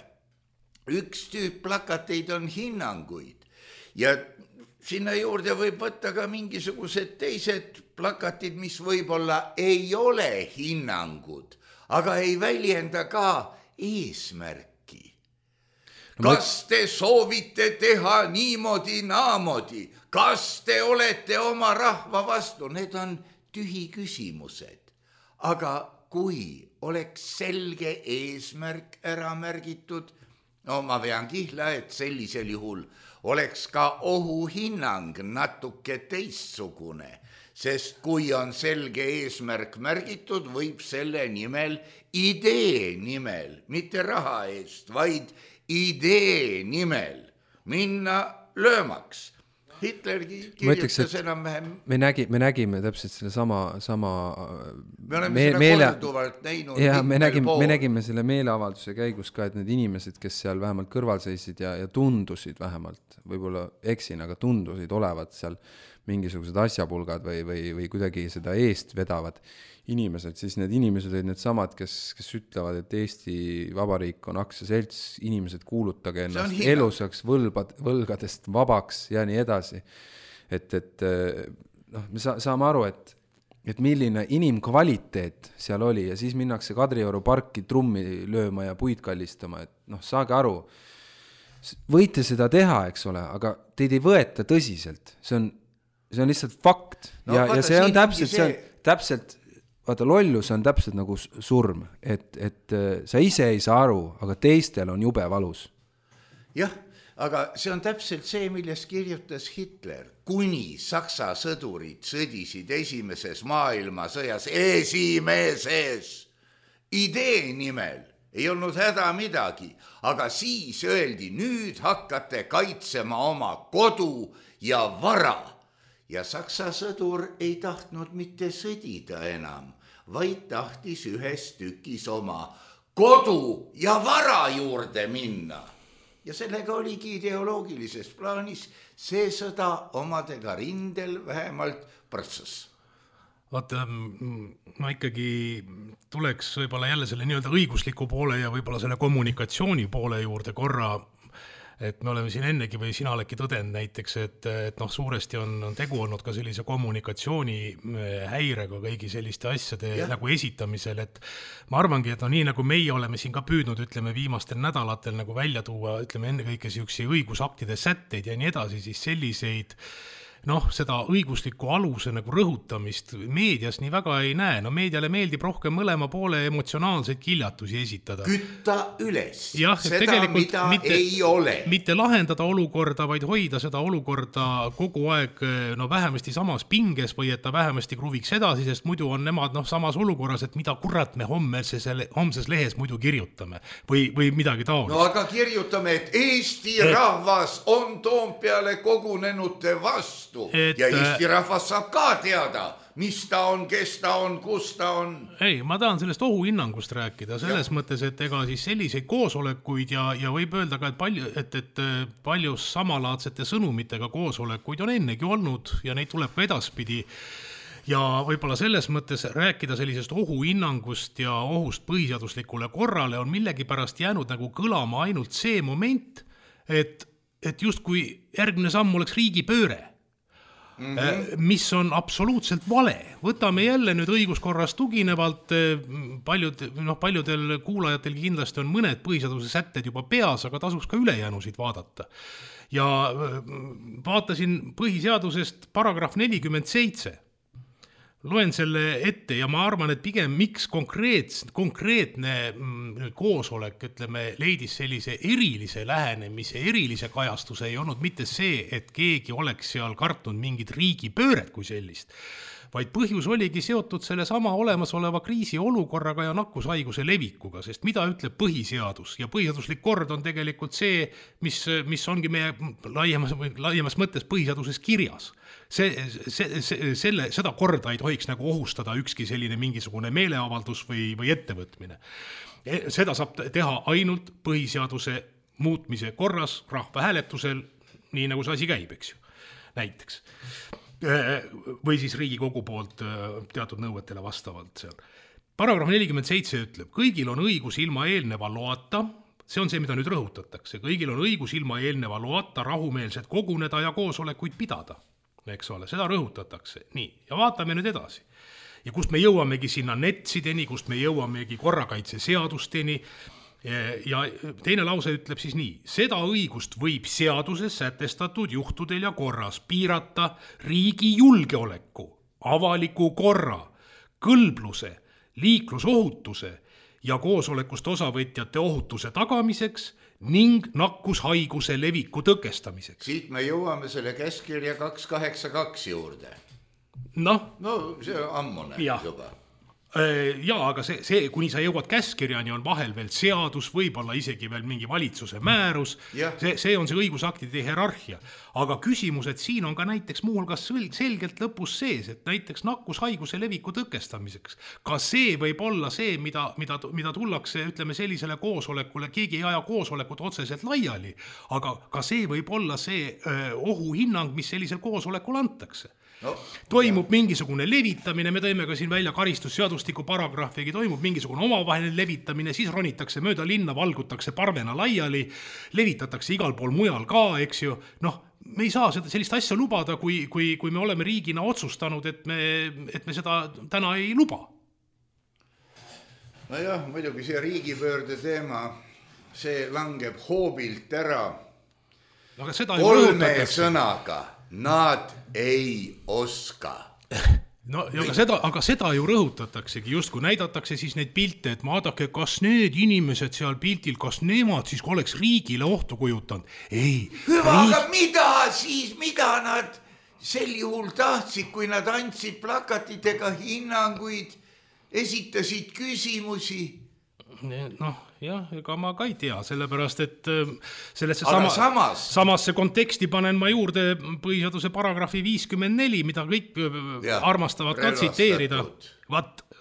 Üks tüüp plakateid on hinnanguid ja sinna juurde võib võtta ka mingisugused teised plakatid, mis võib-olla ei ole hinnangud, aga ei väljenda ka eesmärki. Kas te soovite teha niimoodi, naamodi? Kas te olete oma rahva vastu? Need on tühi küsimused. Aga kui oleks selge eesmärk ära märgitud, ma vean kihla, et sellisel juhul oleks ka ohuhinnang natuke teistsugune, sest kui on selge eesmärk märgitud, võib selle nimel, idee nimel, mitte raha eest, vaid idee nimel minna löömaks. Hitlergi kirjutas enam-vähem. Me nägime täpselt selle sama me oleme seda korduvalt näinud. Ja me nägime selle meeleavalduse käigus ka, et need inimesed, kes seal vähemalt kõrval seisid ja tundusid vähemalt, võib-olla eksin, aga tundusid olevat seal mingisugused asjapulgad või kuidagi seda eest vedavad inimesed, siis need inimesed olid need samad, kes ütlevad, et Eesti Vabariik on aktsiaselts, inimesed kuulutage ennast elusaks võlgadest vabaks ja nii edasi. Et me saame aru, et milline inimkvaliteet seal oli ja siis minnakse Kadrioru parki trummi lööma ja puid kallistama, et saage aru, võite seda teha, eks ole, aga teid ei võeta tõsiselt, see on lihtsalt fakt ja see on täpselt vaata, lollus on täpselt nagu surm, et sa ise ei saa aru, aga teistel on jube valus. Jah, aga see on täpselt see, millest kirjutas Hitler. Kuni Saksa sõdurid sõdisid esimeses maailmasõjas, esimeses idee nimel, ei olnud häda midagi, aga siis öeldi, nüüd hakkate kaitsema oma kodu ja vara. Ja Saksa sõdur ei tahtnud mitte sõdida enam, vaid tahtis ühes tükis oma kodu ja vara juurde minna. Ja sellega oligi ideoloogilises plaanis see sõda omadega rindel vähemalt prõtsas. Vaata, ma ikkagi tuleks võib-olla jälle selle nii-öelda õigusliku poole ja võib-olla selle kommunikatsiooni poole juurde korra, et me oleme siin ennegi või sina oledki tõdend näiteks, et suuresti on tegu olnud ka sellise kommunikatsiooni häirega kõigi selliste asjade nagu esitamisel, et ma arvangi, et nii nagu meie oleme siin ka püüdnud, ütleme viimastel nädalatel nagu välja tuua, ütleme ennekõike siuksi õigusaktide sätteid ja nii edasi, siis selliseid seda õigusliku aluse nagu rõhutamist meedias nii väga ei näe. Meediale meeldib rohkem mõlema poole emotsionaalseid kiljatusi esitada. Kütta üles. Jah, seda, mida ei ole. Mitte lahendada olukorda, vaid hoida seda olukorda kogu aeg vähemasti samas pinges või et ta vähemasti kruviks edasi, sest muidu on nemad samas olukorras, et mida kurat me homses lehes muidu kirjutame või midagi taolist. No aga kirjutame, et Eesti rahvas on Toompeale kogunenute vastu. Ja Eesti rahvas saab ka teada, mis ta on, kes ta on, kus ta on. Ei, ma tahan sellest ohuhinnangust rääkida, selles mõttes, et ega siis selliseid koosolekuid ja võib öelda ka, et palju samalaadsete sõnumitega koosolekuid on ennegi olnud ja neid tuleb ka edaspidi. Ja võib-olla selles mõttes rääkida sellisest ohuhinnangust ja ohust põhiseaduslikule korrale on millegi pärast jäänud nagu kõlama ainult see moment, et justkui järgmine samm oleks riigipööre. Mis on absoluutselt vale. Võtame jälle nüüd õiguskorras tuginevalt, paljudel kuulajatel kindlasti on mõned põhiseaduse sätted juba peas, aga tasuks ka ülejäänusid vaadata. Ja vaatasin põhiseadusest paragrahv 47. Loen selle ette ja ma arvan, et pigem miks konkreetne koosolek, ütleme, leidis sellise erilise lähenemise, erilise kajastuse ei olnud mitte see, et keegi oleks seal kartnud mingid riigipööred kui sellist, vaid põhjus oligi seotud selle sama olemasoleva kriisi olukorraga ja nakkushaiguse levikuga, sest mida ütleb põhiseadus ja põhiseaduslik kord on tegelikult see, mis ongi meie laiemas mõttes põhiseaduses kirjas. Seda korda ei tohiks nagu ohustada ükski selline mingisugune meeleavaldus või ettevõtmine. Seda saab teha ainult põhiseaduse muutmise korras rahvahääletusel, nii nagu see asi käib, eks ju, näiteks. Või siis Riigikogu poolt teatud nõuetele vastavalt seal. Paragrahv 47 ütleb, kõigil on õigus ilma eelneva loata, see on see, mida nüüd rõhutatakse, kõigil on õigus ilma eelneva loata rahumeelselt koguneda ja koosolekuid pidada. Eks ole, seda rõhutatakse. Nii, ja vaatame nüüd edasi. Ja kust me jõuamegi sinna netsideni, kust me jõuamegi korrakaitseseadusteni. Ja teine lause ütleb siis nii, seda õigust võib seaduses sätestatud juhtudel ja korras piirata riigi julgeoleku, avaliku korra, kõlbluse, liiklusohutuse ja koosolekust osavõtjate ohutuse tagamiseks ning nakkushaiguse leviku tõkestamiseks. Siit me jõuame selle käskirja 282 juurde. No see on ammune juba. Jaa, aga see, kuni sa jõuad käskirjani, on vahel veel seadus, võib-olla isegi veel mingi valitsuse määrus, see on see õigusaktide hierarhia. Aga küsimused siin on ka näiteks muuhulgas selgelt lõpus sees, et näiteks nakkushaiguse leviku tõkestamiseks. Ka see võib olla see, mida tullakse, ütleme, sellisele koosolekule, keegi ei aja koosolekut otseselt laiali, aga ka see võib olla see ohuhinnang, mis sellisel koosolekul antakse. Toimub mingisugune levitamine, me tõime ka siin välja karistusseadustiku paragrahvigi, toimub mingisugune omavaheline levitamine, siis ronitakse mööda linna, valgutakse parvena laiali, levitatakse igal pool mujal ka, eks ju. Me ei saa sellist asja lubada, kui me oleme riigina otsustanud, et me seda täna ei luba. Nojah, muidugi see riigipöörde teema, see langeb hoobilt ära. Kolme sõnaga. Nad ei oska. No, aga seda ju rõhutataksegi, just kui näidatakse siis neid pilte, et vaadake, kas need inimesed seal piltil, kas nemad siis oleks riigile ohtu kujutanud. Ei. Hüva, aga mida nad sel juhul tahtsid, kui nad andsid plakatitega hinnanguid, esitasid küsimusi? Noh, jah, ega ma ka ei tea, sellepärast, et sellesse samasse konteksti panen ma juurde põhiseaduse paragrahvi 54, mida kõik armastavad ka tsiteerida.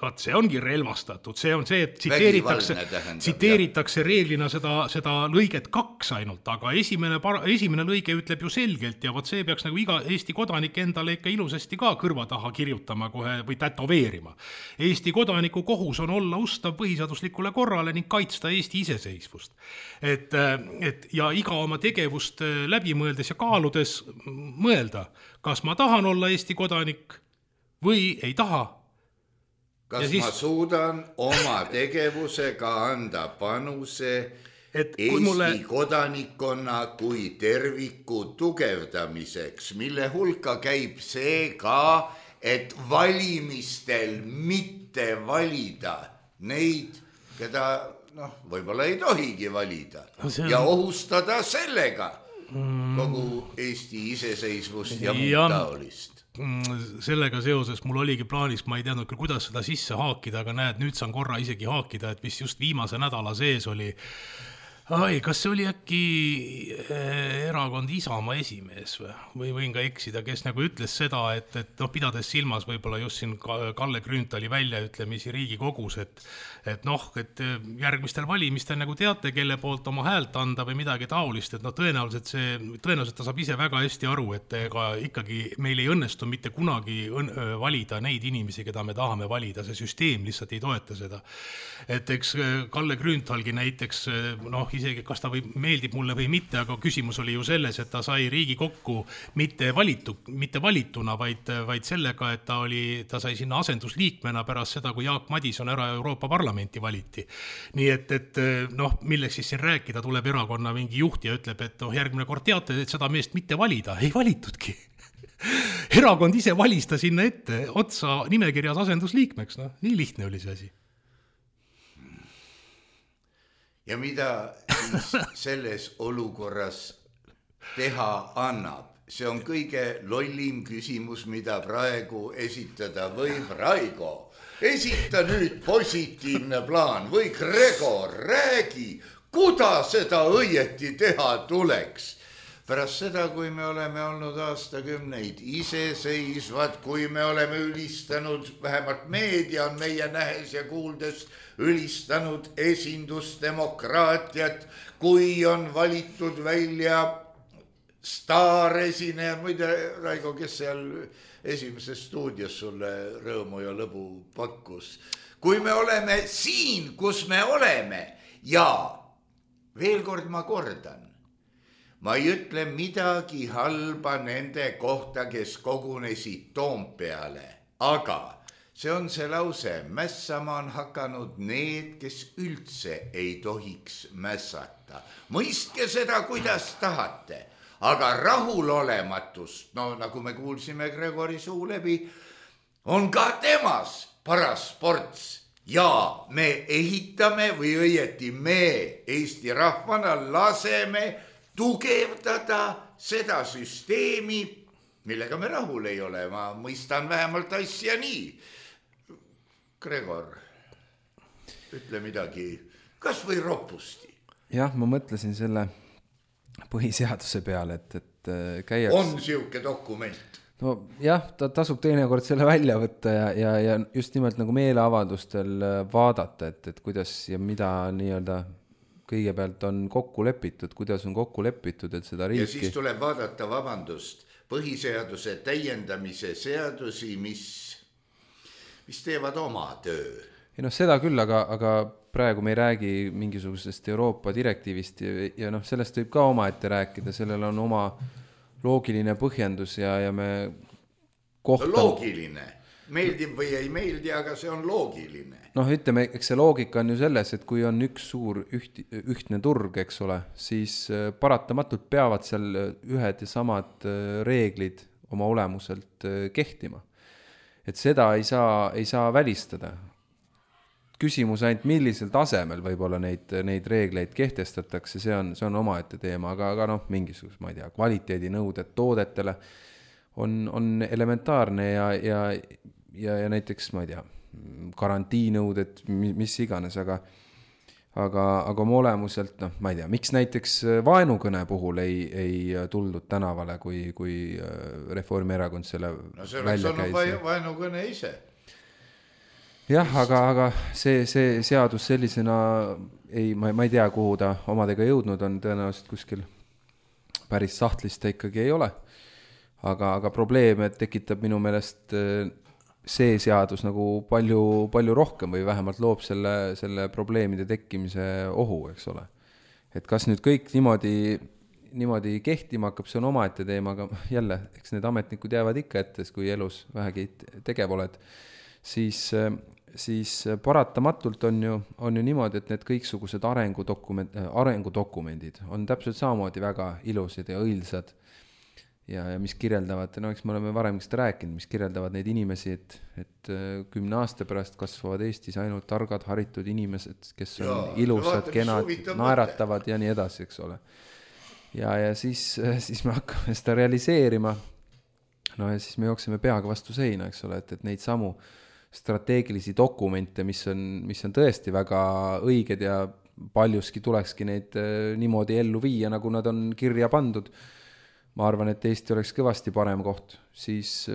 Vaat see ongi relvastatud, see on see, et tsiteeritakse reeglina seda lõiget 2 ainult, aga esimene lõige ütleb ju selgelt ja vaat see peaks nagu iga Eesti kodanik endale ikka ilusasti ka kõrva taha kirjutama kohe või tätoveerima. Eesti kodaniku kohus on olla ustav põhiseaduslikule korrale ning kaitsta Eesti iseseisvust. Ja iga oma tegevust läbi mõeldes ja kaaludes mõelda, kas ma tahan olla Eesti kodanik või ei taha. Kas ma suudan oma tegevusega anda panuse Eesti kodanikkonna kui terviku tugevdamiseks, mille hulka käib see ka, et valimistel mitte valida neid, keda võib-olla ei tohigi valida ja ohustada sellega kogu Eesti iseseisvust ja muud taolist. Sellega seoses mul oligi plaanis, ma ei teadnud küll, kuidas seda sisse haakida, aga näed, nüüd saan korra isegi haakida, et mis just viimase nädala sees oli. Kas see oli äkki erakond Isamaa esimees või võin ka eksida, kes nagu ütles seda, et pidades silmas võib-olla just siin Kalle Grünthali väljaütlemisi Riigikogus, et järgmistel valimistel nagu teate, kelle poolt oma häält anda või midagi taolist, et tõenäoliselt ta saab ise väga hästi aru, et ega ikkagi meil ei õnnestu mitte kunagi valida neid inimesi, keda me tahame valida, see süsteem lihtsalt ei toeta seda. Et eks Kalle Grünthalgi näiteks, isegi kas ta meeldib mulle või mitte, aga küsimus oli ju selles, et ta sai Riigikokku mitte valituna, vaid sellega, et ta sai sinna asendusliikmena pärast seda, kui Jaak Madison ära Euroopa Parlamenti valiti. Nii et milleks siis siin rääkida, tuleb erakonna mingi juht ja ütleb, et järgmine kord teate, et seda meest mitte valida, ei valitudki. Erakond ise valis ta sinna ette otsa nimekirjas asendusliikmeks, nii lihtne oli see asi. Ja mida selles olukorras teha annab? See on kõige lollim küsimus, mida praegu esitada võib. Raigo, esita nüüd positiivne plaan või Gregor, räägi, kuidas seda õieti teha tuleks. Pärast seda, kui me oleme olnud aastakümneid iseseisvad, kui me oleme ülistanud, vähemalt meedia on meie nähes ja kuuldes ülistanud esindusdemokraatiat, kui on valitud välja staaresineja, muide, Raigo, kes seal esimeses stuudios sulle rõõmu ja lõbu pakkus. Kui me oleme siin, kus me oleme ja veel kord ma kordan, ma ei ütle midagi halba nende kohta, kes kogunesid Toompeale, aga see on see lause, mässama on hakanud need, kes üldse ei tohiks mässata. Mõistke seda, kuidas tahate, aga rahulolematust, nagu me kuulsime Gregori suu läbi, on ka temas paras ports. Ja me ehitame või õieti me Eesti rahvana laseme tugevdada seda süsteemi, millega me rahul ei ole. Ma mõistan vähemalt asja nii. Gregor, ütle midagi, kas või ropusti? Jah, ma mõtlesin selle põhiseaduse peale, et käiaks... On siuke dokument? No jah, ta tasub teinekord selle välja võtta ja just nimelt nagu meeleavaldustel vaadata, et kuidas ja mida nii-öelda kõigepealt on kokku lepitud, kuidas on kokku lepitud, et seda riiki... Ja siis tuleb vaadata, vabandust, põhiseaduse täiendamise seadusi, mis teevad oma töö. Ja seda küll, aga praegu me ei räägi mingisugusest Euroopa direktiivist ja sellest võib ka omaette rääkida, sellel on oma loogiline põhjendus ja me kohtame... Loogiline. Meeldib või ei meeldi, aga see on loogiline. Ütleme, eks see loogika on ju selles, et kui on üks suur ühtne turg, eks ole, siis paratamatult peavad seal ühed ja samad reeglid oma olemuselt kehtima. et seda ei saa välistada. Küsimus ainult millisel tasemel võib-olla neid reegleid kehtestatakse, see on omaette teema, aga noh, mingisugust, ma ei tea, kvaliteedinõuded toodetele on elementaarne ja näiteks, ma ei tea, karantiinõuded, mis iganes, aga oma olemuselt, noh, ma ei tea, miks näiteks vaenukõne puhul ei tuldud tänavale, kui Reformierakond selle välja käis? No see oleks vaenukõne ise. Jah, aga see seadus sellisena ma ei tea, kuhu ta omadega jõudnud on, tõenäoliselt kuskil päris sahtlist ta ikkagi ei ole. Aga probleeme tekitab minu meelest see seadus nagu palju rohkem või vähemalt loob selle probleemide tekkimise ohu, eks ole. Et kas nüüd kõik niimoodi kehtima hakkab, see on omaette teema, aga jälle, eks need ametnikud jäävad ikka ette, kui elus vähegi tegev oled, siis paratamatult on ju niimoodi, et need kõiksugused arengudokumendid on täpselt samamoodi väga ilusad ja õilsad ja mis kirjeldavad, no eks me oleme varemist rääkinud, mis kirjeldavad neid inimesi, et 10 aasta pärast kasvavad Eestis ainult targad, haritud inimesed, kes on ilusad, kenad, naeratavad ja nii edasi, eks ole. Ja siis me hakkame seda realiseerima, no ja siis me jookseme peaga vastu seina, eks ole, et neid samu strateegilisi dokumente, mis on tõesti väga õiged ja paljuski tulekski neid niimoodi ellu viia, nagu nad on kirja pandud. Ma arvan, et Eesti oleks kõvasti parem koht. Siis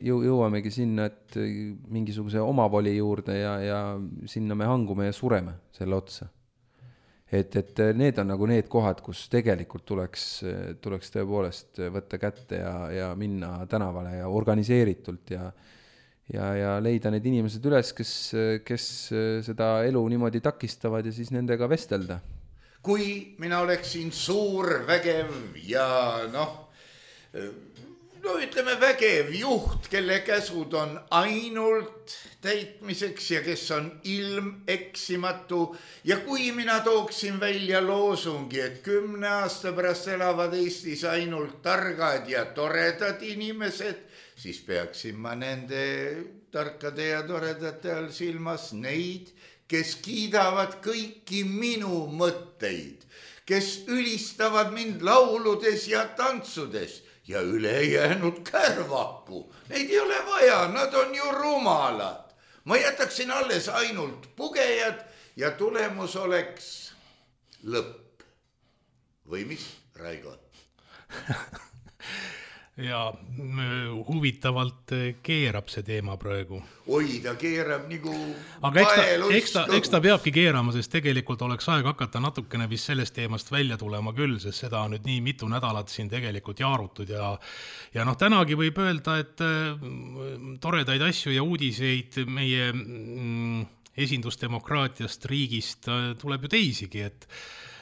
jõuamegi sinna, et mingisuguse omavoli juurde ja sinna me hangume ja sureme selle otsa. Et need on nagu need kohad, kus tegelikult tuleks tõepoolest võtta kätte ja minna tänavale ja organiseeritult ja leida need inimesed üles, kes seda elu niimoodi takistavad ja siis nendega vestelda. Kui mina oleksin suur, vägev ja ütleme vägev juht, kelle käsud on ainult täitmiseks ja kes on ilmeksimatu ja kui mina tooksin välja loosungi, et 10 aasta pärast elavad Eestis ainult targad ja toredad inimesed, siis peaksin ma nende tarkade ja toredate all silmas neid, kes kiidavad kõiki minu mõtteid, kes ülistavad mind lauludes ja tantsudes ja ülejäänud kärvaku. Neid ei ole vaja, nad on ju rumalad. Ma jätaksin alles ainult pugejad ja tulemus oleks lõpp. Või mis, Raigo? Ja huvitavalt keerab see teema praegu. Oi, ta keerab nagu aga eks ta peabki keerama, sest tegelikult oleks aeg hakata natukene vist sellest teemast välja tulema küll, sest seda on nüüd nii mitu nädalat siin tegelikult jaarutud ja tänagi võib öelda, et toredaid asju ja uudiseid meie esindusdemokraatiast riigist tuleb ju teisigi,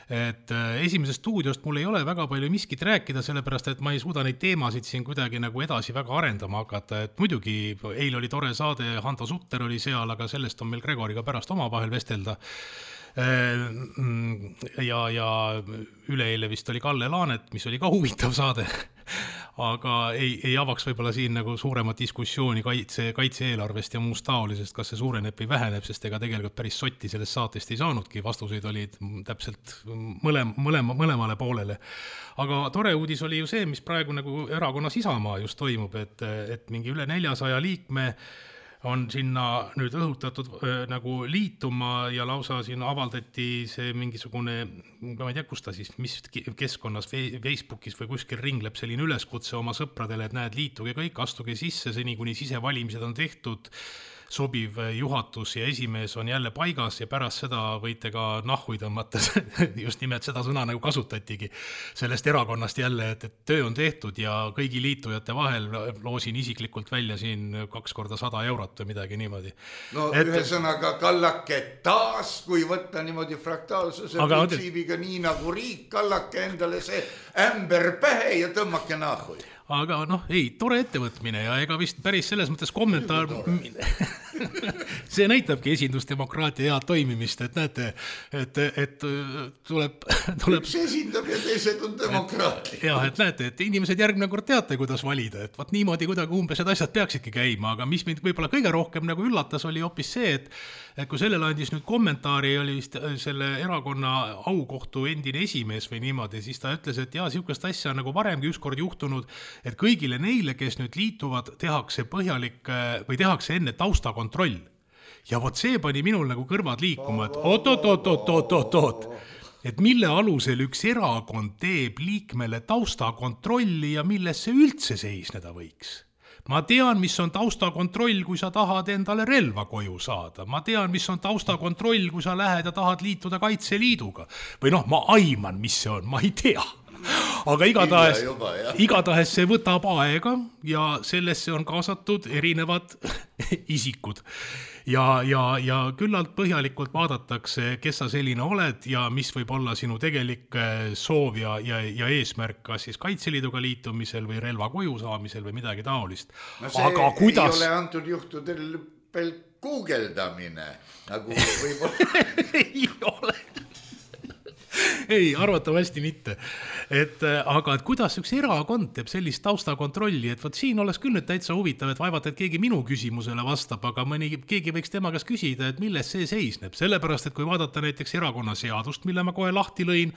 et esimesest stuudiost mul ei ole väga palju miskit rääkida, sellepärast, et ma ei suuda neid teemasid siin kuidagi nagu edasi väga arendama hakata, et muidugi eil oli tore saade, Hando Sutter oli seal, aga sellest on meil Gregoriga pärast omavahel vestelda. Ja üleeile vist oli Kalle Laanet, mis oli ka huvitav saade, aga ei avaks võib-olla siin nagu suuremat diskussiooni kaitse-eelarvest ja muust taolisest, kas see suureneb või väheneb, sest ega tegelikult päris sotti sellest saatest ei saanudki, vastuseid olid täpselt mõlemale poolele. Aga tore uudis oli ju see, mis praegu nagu erakonnas Isamaa just toimub, et mingi üle 400 liikme on sinna nüüd õhutatud nagu liituma ja lausa siin avaldati see mingisugune, ma ei tea, kus ta siis, mis keskkonnas, Facebookis või kuskil ringleb selline üleskutse oma sõpradele, et näed, liituge kõik, astuge sisse, seni kuni sisevalimised on tehtud, sobiv juhatus ja esimees on jälle paigas ja pärast seda võite ka nahhui tõmmata, just nimelt seda sõna nagu kasutatigi sellest erakonnast jälle, et töö on tehtud ja kõigi liitujate vahel loosin isiklikult välja siin 2 korda 100 eurot või midagi niimoodi. No ühesõnaga kallake taas, kui võtta niimoodi fraktaalsuse printsiibiga nii nagu riik, kallake endale see ämber pähe ja tõmmake nahhui. aga noh, ei, tore ettevõtmine ja ega vist päris selles mõttes kommentaar see näitabki esindusdemokraatia head toimimist, et näete, et tuleb üks esindab ja teised on demokraatia. Ja, et näete, et inimesed järgmine kord teate, kuidas valida, et vaat niimoodi kuidagi umbes need asjad peaksidki käima, aga mis mind võib-olla kõige rohkem nagu üllatas, oli hoopis see, et kui sellele andis nüüd kommentaari, oli vist selle erakonna aukohtu endine esimees või niimoodi, siis ta ütles, et jaa, siukest asja nagu varemgi ükskord juhtunud, et kõigile neile, kes nüüd liituvad, tehakse põhjalik või tehakse enne taustakontroll. Ja vot see pani minul nagu kõrvad liikuma, et oot, et mille alusel üks erakond teeb liikmele taustakontrolli ja milles see üldse seisneda võiks. Ma tean, mis on taustakontroll, kui sa tahad endale relva koju saada. Ma tean, mis on taustakontroll, kui sa lähed ja tahad liituda Kaitseliiduga. Või noh, ma aiman, mis see on, ma ei tea. Aga igatahes see võtab aega ja sellesse on kaasatud erinevad isikud. Ja küllalt põhjalikult vaadatakse, kes sa selline oled ja mis võib olla sinu tegelik soov ja eesmärk, kas siis Kaitseliiduga liitumisel või relva koju saamisel või midagi taolist. No see aga kuidas... ei ole antud juhtudel veel guugeldamine, nagu võib-olla ei ole. Ei, arvatavasti mitte. Aga kuidas üks erakond teeb sellist taustakontrolli, et võt siin oleks küll nüüd täitsa huvitav, et vaevalt, et keegi minu küsimusele vastab, aga keegi võiks tema käest küsida, et milles see seisneb. Sellepärast, et kui vaadata näiteks erakonnaseadust, mille ma kohe lahti lõin,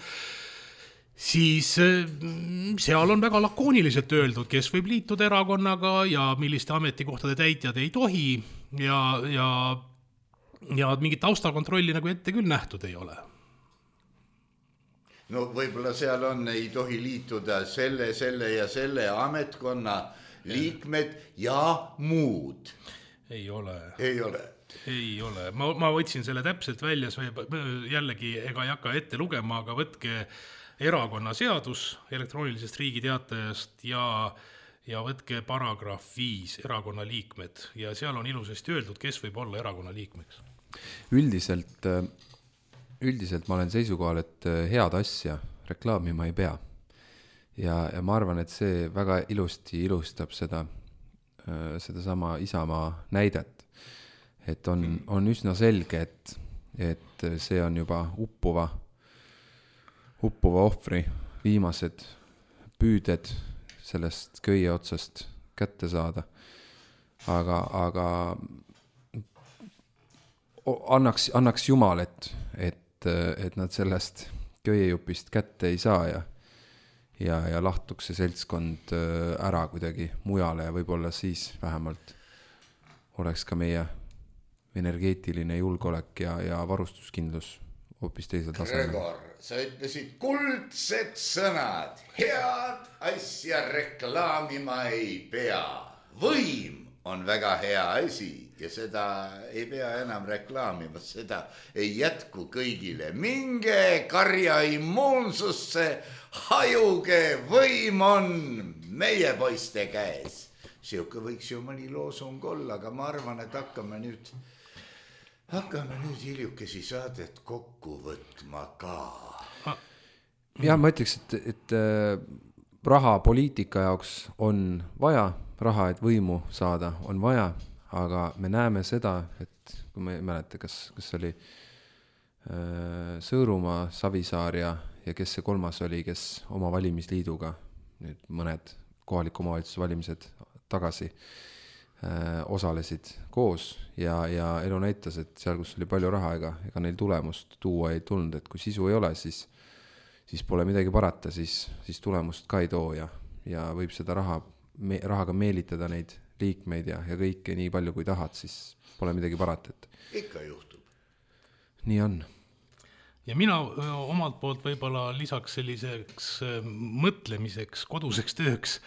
siis seal on väga lakooniliselt öeldud, kes võib liituda erakonnaga ja milliste ametikohtade täitjad ei tohi ja mingit taustakontrolli nagu ette küll nähtud ei ole. No võib-olla seal on, ei tohi liituda selle ja selle ametkonna liikmed ja muud. Ei ole. Ei ole. Ei ole. Ma võtsin selle täpselt välja, jällegi ega ei hakka ette lugema, aga võtke erakonnaseadus elektroonilisest riigiteatajast ja võtke paragrahv 5 erakonna liikmed ja seal on ilusasti öeldud, kes võib olla erakonna liikmeks. Üldiselt ma olen seisukohal, et head asja reklaamima ei pea. Ja ma arvan, et see väga ilusti ilustab seda sama Isamaa näidet. Et on üsna selge, et see on juba uppuva ohvri viimased püüded sellest köie otsast kätte saada. Aga annaks Jumal, et nad sellest köiejupist kätte ei saa ja lahtuks see seltskond ära kuidagi mujale ja võib-olla siis vähemalt oleks ka meie energeetiline julgeolek ja varustuskindlus hoopis teisel tasemel. Gregor, sa ütlesid kuldsed sõnad, head asja reklaamima ei pea. Võim on väga hea asi ja seda ei pea enam reklaamima, seda ei jätku kõigile. Minge karja immuunsusse, hajuge, võim on meie poiste käes. Siuke võiks ju mõni loosung olla, aga ma arvan, et hakkame nüüd hiljukesi saadet kokku võtma ka. Ja ma ütleks, et raha poliitika jaoks on vaja, raha, et võimu saada, on vaja, aga me näeme seda, et kui me ei mäleta, kas oli Sõõrumaa, Savisaar ja kes see kolmas oli, kes oma valimisliiduga nüüd mõned kohaliku omavalitsuse valimised tagasi osalesid koos ja elu näitas, et seal, kus oli palju raha, ega neil tulemust tuua ei tulnud, et kui sisu ei ole, siis pole midagi parata, siis tulemust ka ei too ja võib seda rahaga meelitada neid liikmeid ja kõike nii palju kui tahad, siis pole midagi parata. Ikka juhtub. Nii on. Ja mina omalt poolt võib-olla lisaks selliseks mõtlemiseks, koduseks tööks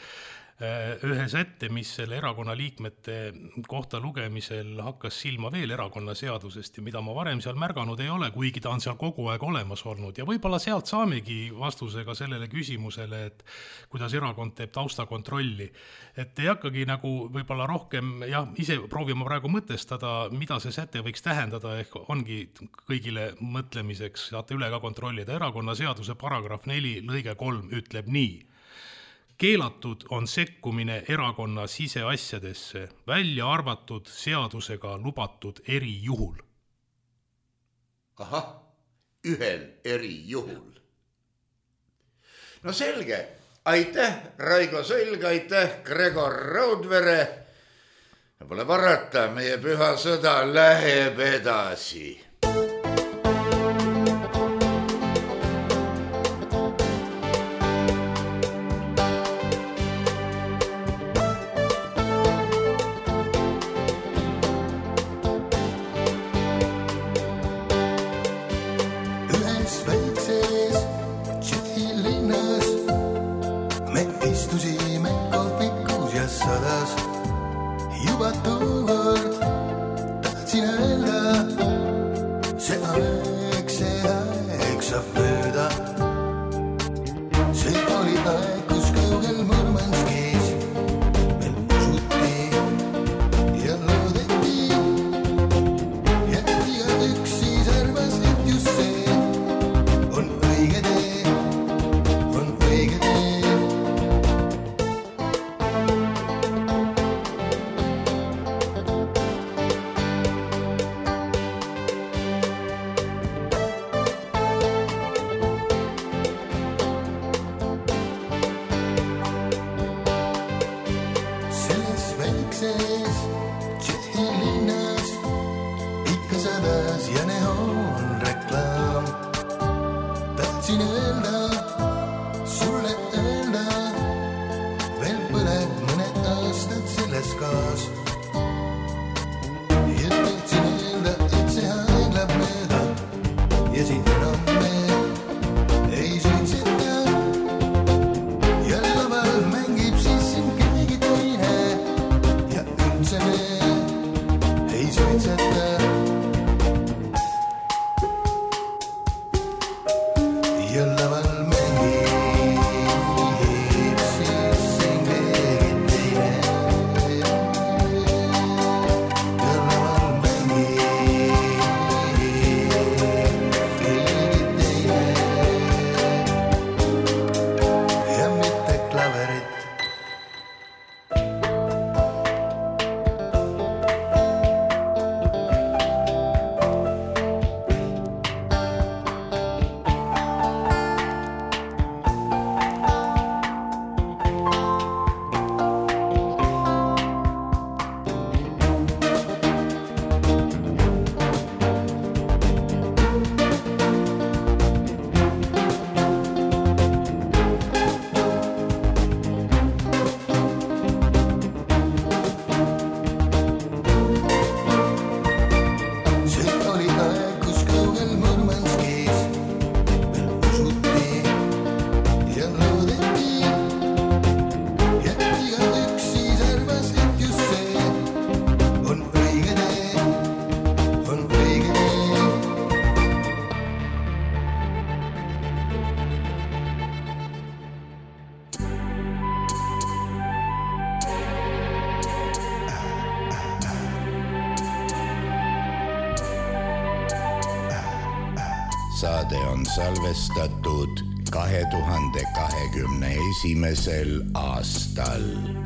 ühe sätte, mis selle erakonna liikmete kohta lugemisel hakkas silma veel erakonna seadusest ja mida ma varem seal märganud ei ole, kuigi ta on seal kogu aeg olemas olnud ja võib-olla sealt saamegi vastusega sellele küsimusele, et kuidas erakond teeb taustakontrolli. Et ei hakkagi nagu võib-olla rohkem, ise proovima praegu mõtestada, mida see säte võiks tähendada, ehk ongi kõigile mõtlemiseks, saate üle ka kontrollida. Erakonna seaduse paragrahv 4 lõige 3 ütleb nii. keelatud on sekkumine erakonna siseasjadesse, välja arvatud seadusega lubatud erijuhul. Ahah, ühel erijuhul. No selge, aitäh Raigo Sõlg, aitäh Gregor Raudvere. Pole parata, meie püha sõda läheb edasi. Saade on salvestatud 2021. aastal.